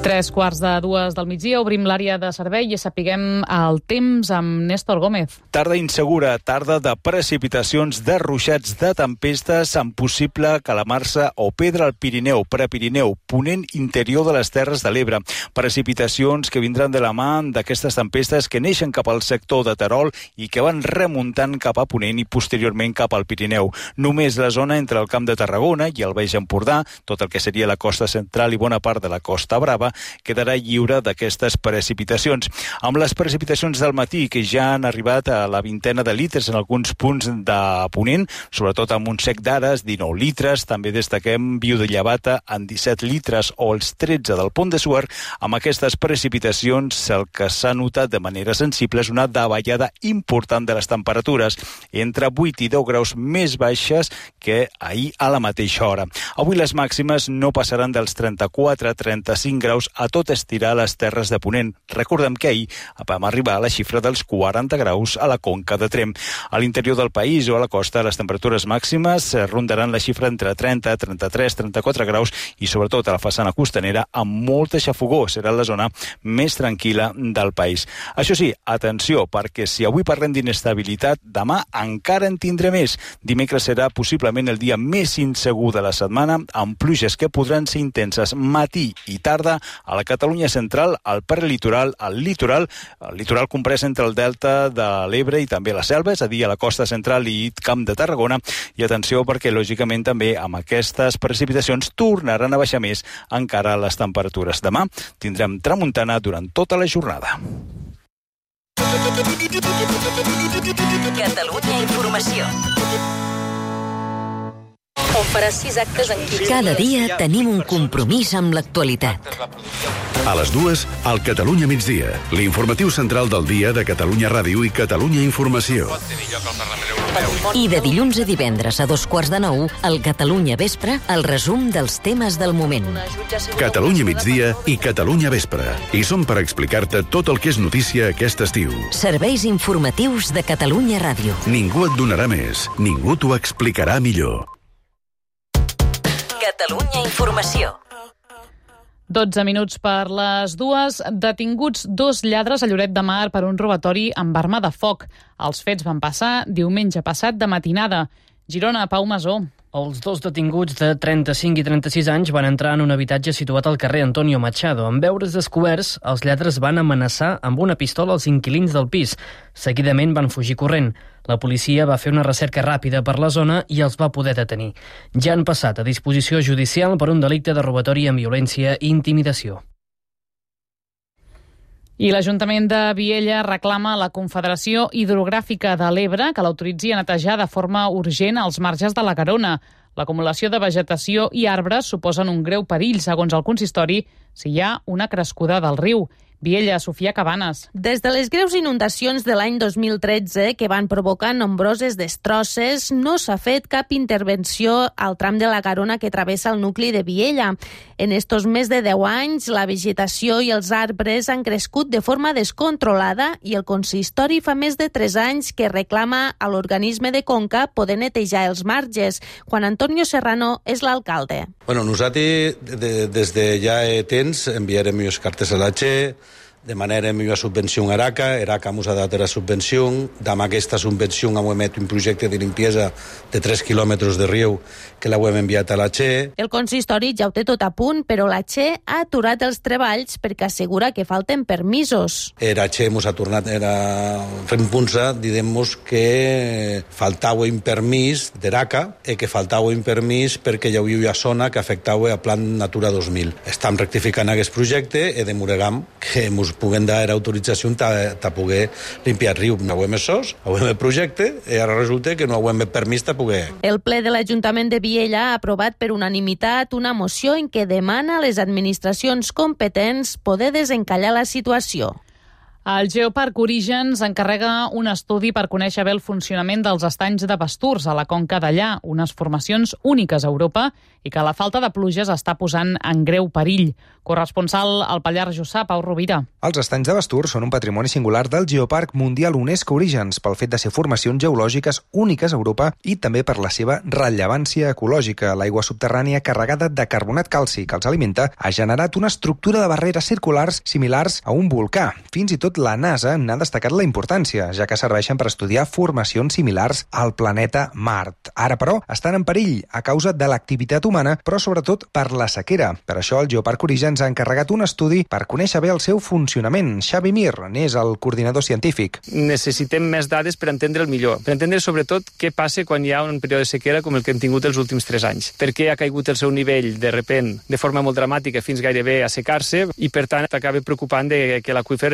Tres quarts de 2 del migdia, obrim l'àrea de servei i sapiguem el temps amb Néstor Gómez. Tarda insegura, tarda de precipitacions, de ruixats, de tempestes, amb possible calamarsa o pedra al Pirineu, Prepirineu, ponent interior de les Terres de l'Ebre. Precipitacions que vindran de la mà d'aquestes tempestes que neixen cap al sector de Terol i que van remuntant cap a ponent i posteriorment cap al Pirineu. Només la zona entre el Camp de Tarragona i el Baix Empordà, tot el que seria la costa central i bona part de la Costa Brava, quedarà lliure d'aquestes precipitacions. Amb les precipitacions del matí, que ja han arribat a la vintena de litres en alguns punts de ponent, sobretot amb un sec d'Ares, 19 litres, també destaquem Viu de Llevata en 17 litres o els 13 del Pont de Suert. Amb aquestes precipitacions el que s'ha notat de manera sensible és una davallada important de les temperatures, entre 8 i 10 graus més baixes que ahir a la mateixa hora. Avui les màximes no passaran dels 34-35 graus a tot estirar a les Terres de Ponent. Recordem que ahir vam arribar a la xifra dels 40 graus a la Conca de Tremp. A l'interior del país o a la costa les temperatures màximes rondaran la xifra entre 30, 33, 34 graus i sobretot a la façana costanera amb molta xafogó. Serà la zona més tranquil·la del país. Això sí, atenció, perquè si avui parlem d'inestabilitat, demà encara en tindré més. Dimecres serà possiblement el dia més insegur de la setmana, amb pluges que podran ser intenses matí i tarda a la Catalunya central, al prelitoral, al litoral, el litoral comprès entre el delta de l'Ebre i també la Selva, és a dir, a la costa central i Camp de Tarragona. I atenció perquè, lògicament, també amb aquestes precipitacions tornaran a baixar més encara les temperatures. Demà tindrem tramuntana durant tota la jornada. Catalunya Informació. On faràs 6 actes en 15 Cada dia tenim un compromís amb l'actualitat. A les 2, al Catalunya Migdia, l'informatiu central del dia de Catalunya Ràdio i Catalunya Informació. I de dilluns a divendres a 8:45, al Catalunya Vespre, el resum dels temes del moment. Catalunya Migdia i Catalunya Vespre. I som per explicar-te tot el que és notícia aquest estiu. Serveis informatius de Catalunya Ràdio. Ningú et donarà més, ningú t'ho explicarà millor. Catalunya Informació. 12 minuts per les 2. Detinguts 2 lladres a Lloret de Mar per un robatori amb arma de foc. Els fets van passar diumenge passat de matinada. Girona, Pau Masó. Els 2 detinguts de 35 i 36 anys van entrar en un habitatge situat al carrer Antonio Machado. En veure's descoberts, els lladres van amenaçar amb una pistola als inquilins del pis. Seguidament van fugir corrent. La policia va fer una recerca ràpida per la zona i els va poder detenir. Ja han passat a disposició judicial per un delicte de robatori amb violència i intimidació. I l'Ajuntament de Viella reclama a la Confederació Hidrogràfica de l'Ebre que l'autoritzi a netejar de forma urgent els marges de la Garona. L'acumulació de vegetació i arbres suposen un greu perill, segons el consistori, si hi ha una crescuda del riu. Viella, Sofia Cabanes. Des de les greus inundacions de l'any 2013, que van provocar nombroses destrosses, no s'ha fet cap intervenció al tram de la Garona que travessa el nucli de Viella. En estos més de 10 anys, la vegetació i els arbres han crescut de forma descontrolada i el consistori fa més de 3 anys que reclama a l'organisme de Conca poder netejar els marges. Juan Antonio Serrano és l'alcalde. Bueno, nosaltres des de ja temps enviarem les cartes a la Che, demanarem una subvenció a ERACA ens ha dat la subvenció, amb aquesta subvenció hem emet un projecte de limpiesa de 3 quilòmetres de riu que l'hem enviat a la Che. El consistori ja ho té tot a punt, però la Che ha aturat els treballs perquè assegura que falten permisos. La Che ens ha tornat a repunsa, diguem-nos que faltava un permís d'ERACA i que faltava un permís perquè hi havia una zona que afectava a Plan Natura 2000. Estem rectificant aquest projecte i demorem que ens puguem dar autorització de poder limpiar el riu. No ho hem sos, ho hem el projecte i ara resulta que no ho hem el permís de poder. El ple de l'Ajuntament de Viella ha aprovat per unanimitat una moció en què demana a les administracions competents poder desencallar la situació. El Geoparc Orígens encarrega un estudi per conèixer bé el funcionament dels estanys de pasturs a la Conca d'Allà, unes formacions úniques a Europa i que la falta de pluges està posant en greu perill. Corresponsal al Pallars Jussà, Pau Rovira. Els estanys de pasturs són un patrimoni singular del Geoparc Mundial UNESCO Orígens pel fet de ser formacions geològiques úniques a Europa i també per la seva rellevància ecològica. L'aigua subterrània carregada de carbonat calci que els alimenta ha generat una estructura de barreres circulars similars a un volcà. Fins i tot la NASA n'ha destacat la importància, ja que serveixen per estudiar formacions similars al planeta Mart. Ara, però, estan en perill a causa de l'activitat humana, però sobretot per la sequera. Per això el Geoparc Orígens ha encarregat un estudi per conèixer bé el seu funcionament. Xavi Mir n'és el coordinador científic. Necessitem més dades per entendre el millor, per entendre sobretot què passa quan hi ha un període de sequera com el que hem tingut els últims 3 anys. Per què ha caigut el seu nivell de repent de forma molt dramàtica fins gairebé a secar-se i, per tant, acaba preocupant de que l'aqüífer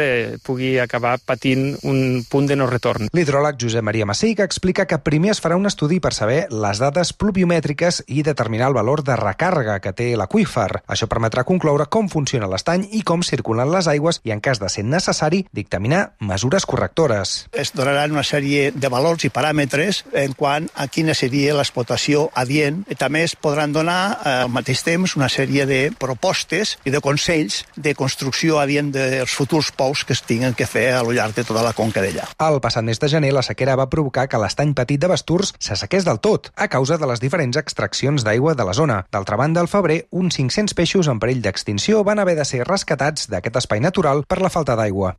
pugui acabar patint un punt de no retorn. L'hidròleg Josep Maria Masseiga explica que primer es farà un estudi per saber les dades pluviomètriques i determinar el valor de recàrrega que té l'aqüífer. Això permetrà concloure com funciona l'estany i com circulen les aigües i, en cas de ser necessari, dictaminar mesures correctores. Es donaran una sèrie de valors i paràmetres en quant a quina seria l'explotació adient i també es podran donar al mateix temps una sèrie de propostes i de consells de construcció adient dels futurs pous que es tinguin que fer a lo llarg de tota la conca d'allà. El passat mes de gener, la sequera va provocar que l'estany petit de Basturs s'assequés del tot, a causa de les diferents extraccions d'aigua de la zona. D'altra banda, al febrer, uns 500 peixos en perill d'extinció van haver de ser rescatats d'aquest espai natural per la falta d'aigua.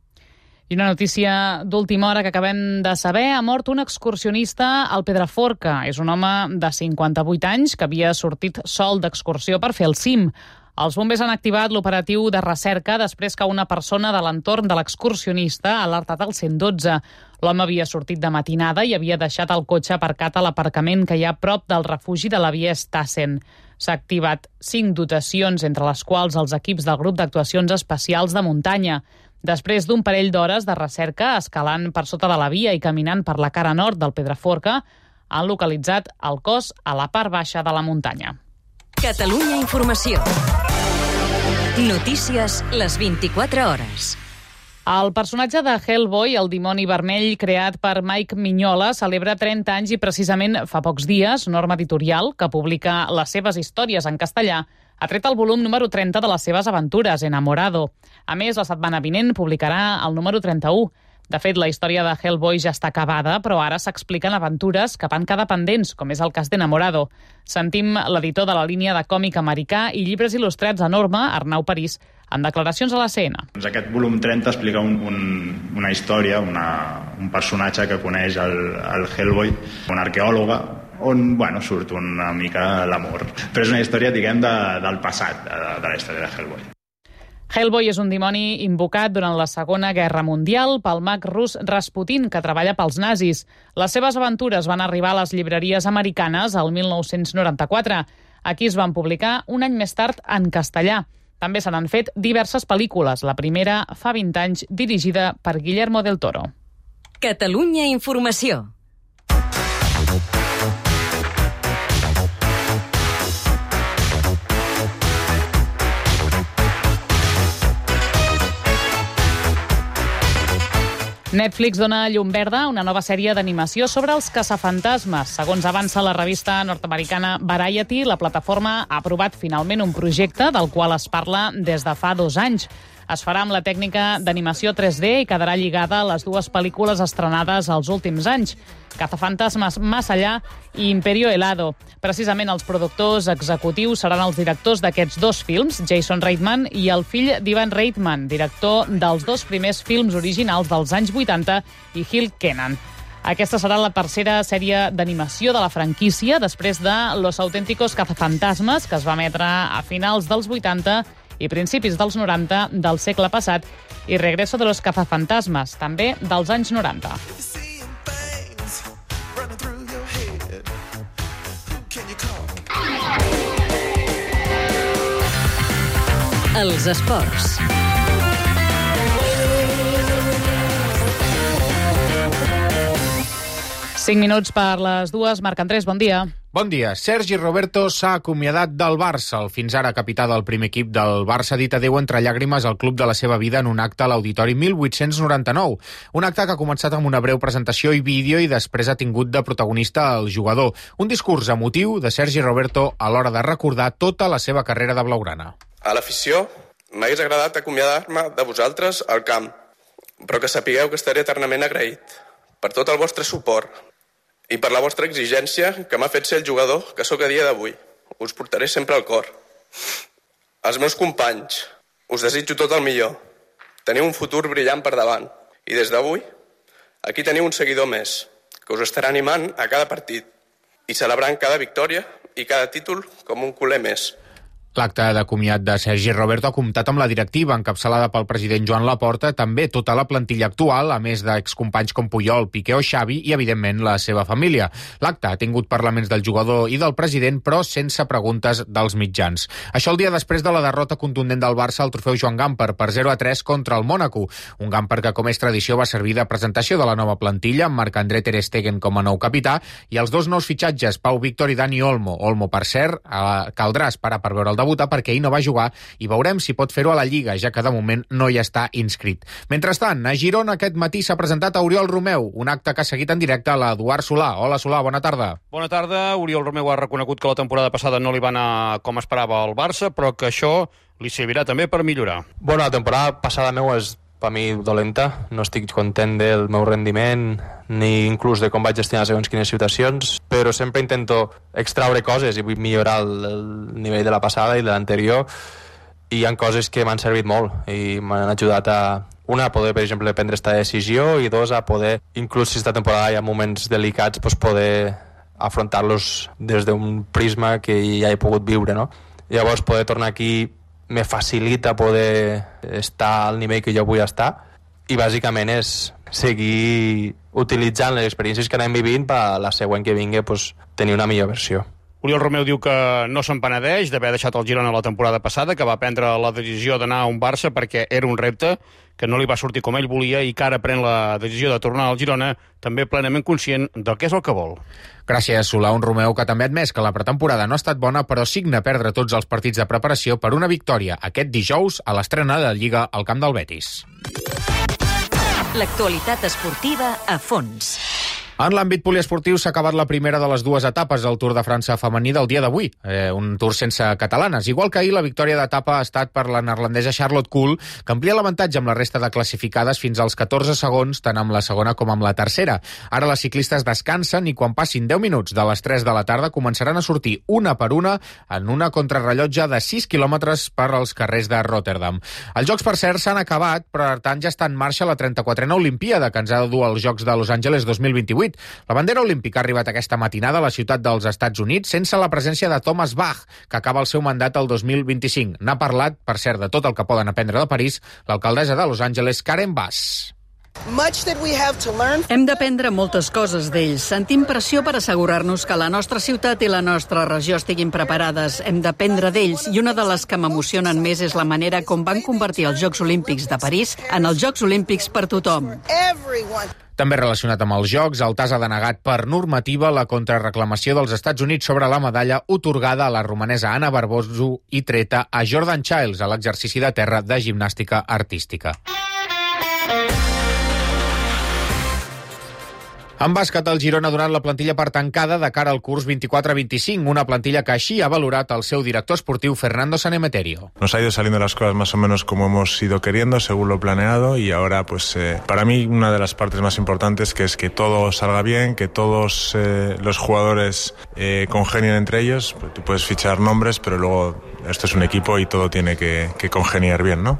I una notícia d'última hora que acabem de saber. Ha mort un excursionista al Pedraforca. És un home de 58 anys que havia sortit sol d'excursió per fer el cim. Els bombers han activat l'operatiu de recerca després que una persona de l'entorn de l'excursionista ha alertat el 112. L'home havia sortit de matinada i havia deixat el cotxe aparcat a l'aparcament que hi ha prop del refugi de la via Stassen. S'ha activat 5 dotacions, entre les quals els equips del grup d'actuacions especials de muntanya. Després d'un parell d'hores de recerca, escalant per sota de la via i caminant per la cara nord del Pedraforca, han localitzat el cos a la part baixa de la muntanya. Catalunya Informació. Notícies les 24 hores. El personatge de Hellboy, el dimoni vermell creat per Mike Mignola, celebra 30 anys i precisament fa pocs dies Norma Editorial, que publica les seves històries en castellà, ha tret el volum número 30 de les seves aventures, Enamorado. A més, la setmana vinent publicarà el número 31. De fet, la història de Hellboy ja està acabada, però ara s'expliquen aventures que van quedar pendents, com és el cas d'Enamorado. Sentim l'editor de la línia de còmic americà i llibres il·lustrats a Norma, Arnau París, en declaracions a la CNN. Aquest volum 30 explica una història, un personatge que coneix el Hellboy, una arqueòloga, on surt una mica l'amor. Però és una història, diguem, del passat, de la història de Hellboy. Hellboy és un dimoni invocat durant la Segona Guerra Mundial pel mag rus Rasputin, que treballa pels nazis. Les seves aventures van arribar a les llibreries americanes el 1994. Aquí es van publicar un any més tard en castellà. També se n'han fet diverses pel·lícules, la primera fa 20 anys, dirigida per Guillermo del Toro. Catalunya Informació. Netflix dona llum verda a una nova sèrie d'animació sobre els caçafantasmes. Segons avança la revista nord-americana Variety, la plataforma ha aprovat finalment un projecte del qual es parla des de fa 2 anys. Es farà amb la tècnica d'animació 3D i quedarà lligada a les 2 pel·lícules estrenades els últims anys, Cazafantasmas Más Allá i Imperio Helado. Precisament els productors executius seran els directors d'aquests 2 films, Jason Reitman i el fill d'Ivan Reitman, director dels 2 primers films originals dels anys 80, i Hill Kenan. Aquesta serà la tercera sèrie d'animació de la franquícia, després de Los Auténticos Cazafantasmas, que es va emetre a finals dels 80 i principis dels 90 del segle passat, i Regreso de los Cazafantasmas, també dels anys 90. Els esports. Cinc minuts per les 2. Marc Andrés, bon dia. Bon dia. Sergi Roberto s'ha acomiadat del Barça. El fins ara capità del primer equip del Barça ha dit adéu entre llàgrimes al club de la seva vida en un acte a l'Auditori 1899. Un acte que ha començat amb una breu presentació i vídeo i després ha tingut de protagonista el jugador. Un discurs emotiu de Sergi Roberto a l'hora de recordar tota la seva carrera de blaugrana. A l'afició, m'hagués agradat acomiadar-me de vosaltres al camp, però que sapigueu que estaré eternament agraït per tot el vostre suport i per la vostra exigència que m'ha fet ser el jugador que sóc a dia d'avui. Us portaré sempre al cor. Als meus companys, us desitjo tot el millor. Teniu un futur brillant per davant. I des d'avui, aquí teniu un seguidor més, que us estarà animant a cada partit i celebrant cada victòria i cada títol com un culer més. L'acte de comiat de Sergi Roberto ha comptat amb la directiva encapçalada pel president Joan Laporta, també tota la plantilla actual, a més d'excompanys com Puyol, Piqué o Xavi i, evidentment, la seva família. L'acte ha tingut parlaments del jugador i del president, però sense preguntes dels mitjans. Això el dia després de la derrota contundent del Barça al trofeu Joan Gamper per 0-3 contra el Mònaco. Un Gamper que, com és tradició, va servir de presentació de la nova plantilla, amb Marc-André Ter Stegen com a nou capità, i els 2 nous fitxatges, Pau Víctor i Dani Olmo. Olmo, per cert, caldrà esperar per veure el debutar perquè ell no va jugar i veurem si pot fer-ho a la Lliga, ja que de moment no hi està inscrit. Mentrestant, a Girona aquest matí s'ha presentat a Oriol Romeu, un acte que ha seguit en directe a l'Eduard Solà. Hola, Solà, bona tarda. Bona tarda. Oriol Romeu ha reconegut que la temporada passada no li va anar com esperava al Barça, però que això li servirà també per millorar. Bueno, la temporada passada meu és per mi dolenta, no estic content del meu rendiment ni inclús de com vaig gestionar segons quines situacions, però sempre intento extraure coses i vull millorar el nivell de la passada i de l'anterior, i hi ha coses que m'han servit molt i m'han ajudat a, una, a poder, per exemple, prendre aquesta decisió, i 2, a poder, inclús si aquesta temporada hi ha moments delicats, pues poder afrontar-los des d'un prisma que ja he pogut viure, no? Llavors, poder tornar aquí me facilita poder estar al nivell que jo vull estar, i bàsicament és seguir utilitzant les experiències que anem vivint per la següent que vingui pues, tenir una millor versió. Oriol Romeu diu que no se'n penedeix d'haver deixat el Girona la temporada passada, que va prendre la decisió d'anar a un Barça perquè era un repte, que no li va sortir com ell volia i que ara pren la decisió de tornar al Girona, també plenament conscient del que és el que vol. Gràcies, Solà. Un Romeu que també ha admès que la pretemporada no ha estat bona, però signa perdre tots els partits de preparació per una victòria aquest dijous a l'estrena de Lliga al camp del Betis. L'actualitat esportiva a fons. En l'àmbit poliesportiu s'ha acabat la primera de les 2 etapes del Tour de França femení del dia d'avui, un Tour sense catalanes. Igual que ahir, la victòria d'etapa ha estat per la neerlandesa Charlotte Kool, que amplia l'avantatge amb la resta de classificades fins als 14 segons, tant amb la segona com amb la tercera. Ara les ciclistes descansen i quan passin 10 minuts de les 3 de la tarda començaran a sortir una per una en una contrarrellotge de 6 quilòmetres per als carrers de Rotterdam. Els Jocs, per cert, s'han acabat, però per tant ja està en marxa la 34a Olimpíada, que ens ha de dur als Jocs de Los Angeles 2028. La bandera olímpica ha arribat aquesta matinada a la ciutat dels Estats Units sense la presència de Thomas Bach, que acaba el seu mandat el 2025. N'ha parlat, per cert, de tot el que poden aprendre de París, l'alcaldessa de Los Angeles, Karen Bass. Hem d'aprendre moltes coses d'ells. Sentim pressió per assegurar-nos que la nostra ciutat i la nostra regió estiguin preparades. Hem d'aprendre d'ells, i una de les que m'emocionen més és la manera com van convertir els Jocs Olímpics de París en els Jocs Olímpics per tothom. També relacionat amb els Jocs, el TAS ha denegat per normativa la contrarreclamació dels Estats Units sobre la medalla otorgada a la romanesa Anna Barbosu i treta a Jordan Childs a l'exercici de terra de gimnàstica artística. En bàsquet, el Girona ha donat la plantilla per tancada de cara al curs 24-25, una plantilla que així ha valorat el seu director esportiu Fernando Sanemeterio. Nos ha ido saliendo las cosas más o menos como hemos ido queriendo, según lo planeado, y ahora pues para mí una de las partes más importantes que es que todo salga bien, que todos los jugadores congenien entre ellos. Tú puedes fichar nombres, pero luego esto es un equipo y todo tiene que congeniar bien, ¿no?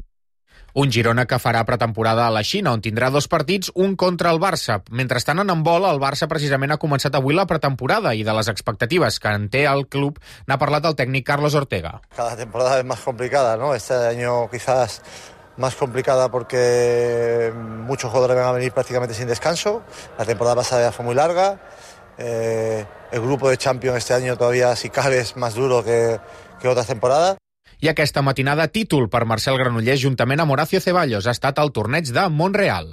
Un Girona que farà pretemporada a la Xina, on tindrà 2 partits, un contra el Barça. Mentrestant, en handbol, el Barça precisament ha començat avui la pretemporada i de les expectatives que en té el club n'ha parlat el tècnic Carlos Ortega. Cada temporada es más complicada, ¿no? Este año quizás más complicada porque muchos jugadores van a venir prácticamente sin descanso. La temporada pasada ya fue muy larga. El grupo de Champions este año todavía, si cabe, es más duro que otras temporadas. I aquesta matinada, títol per Marcel Granollers juntament amb Horacio Ceballos. Ha estat el torneig de Montreal.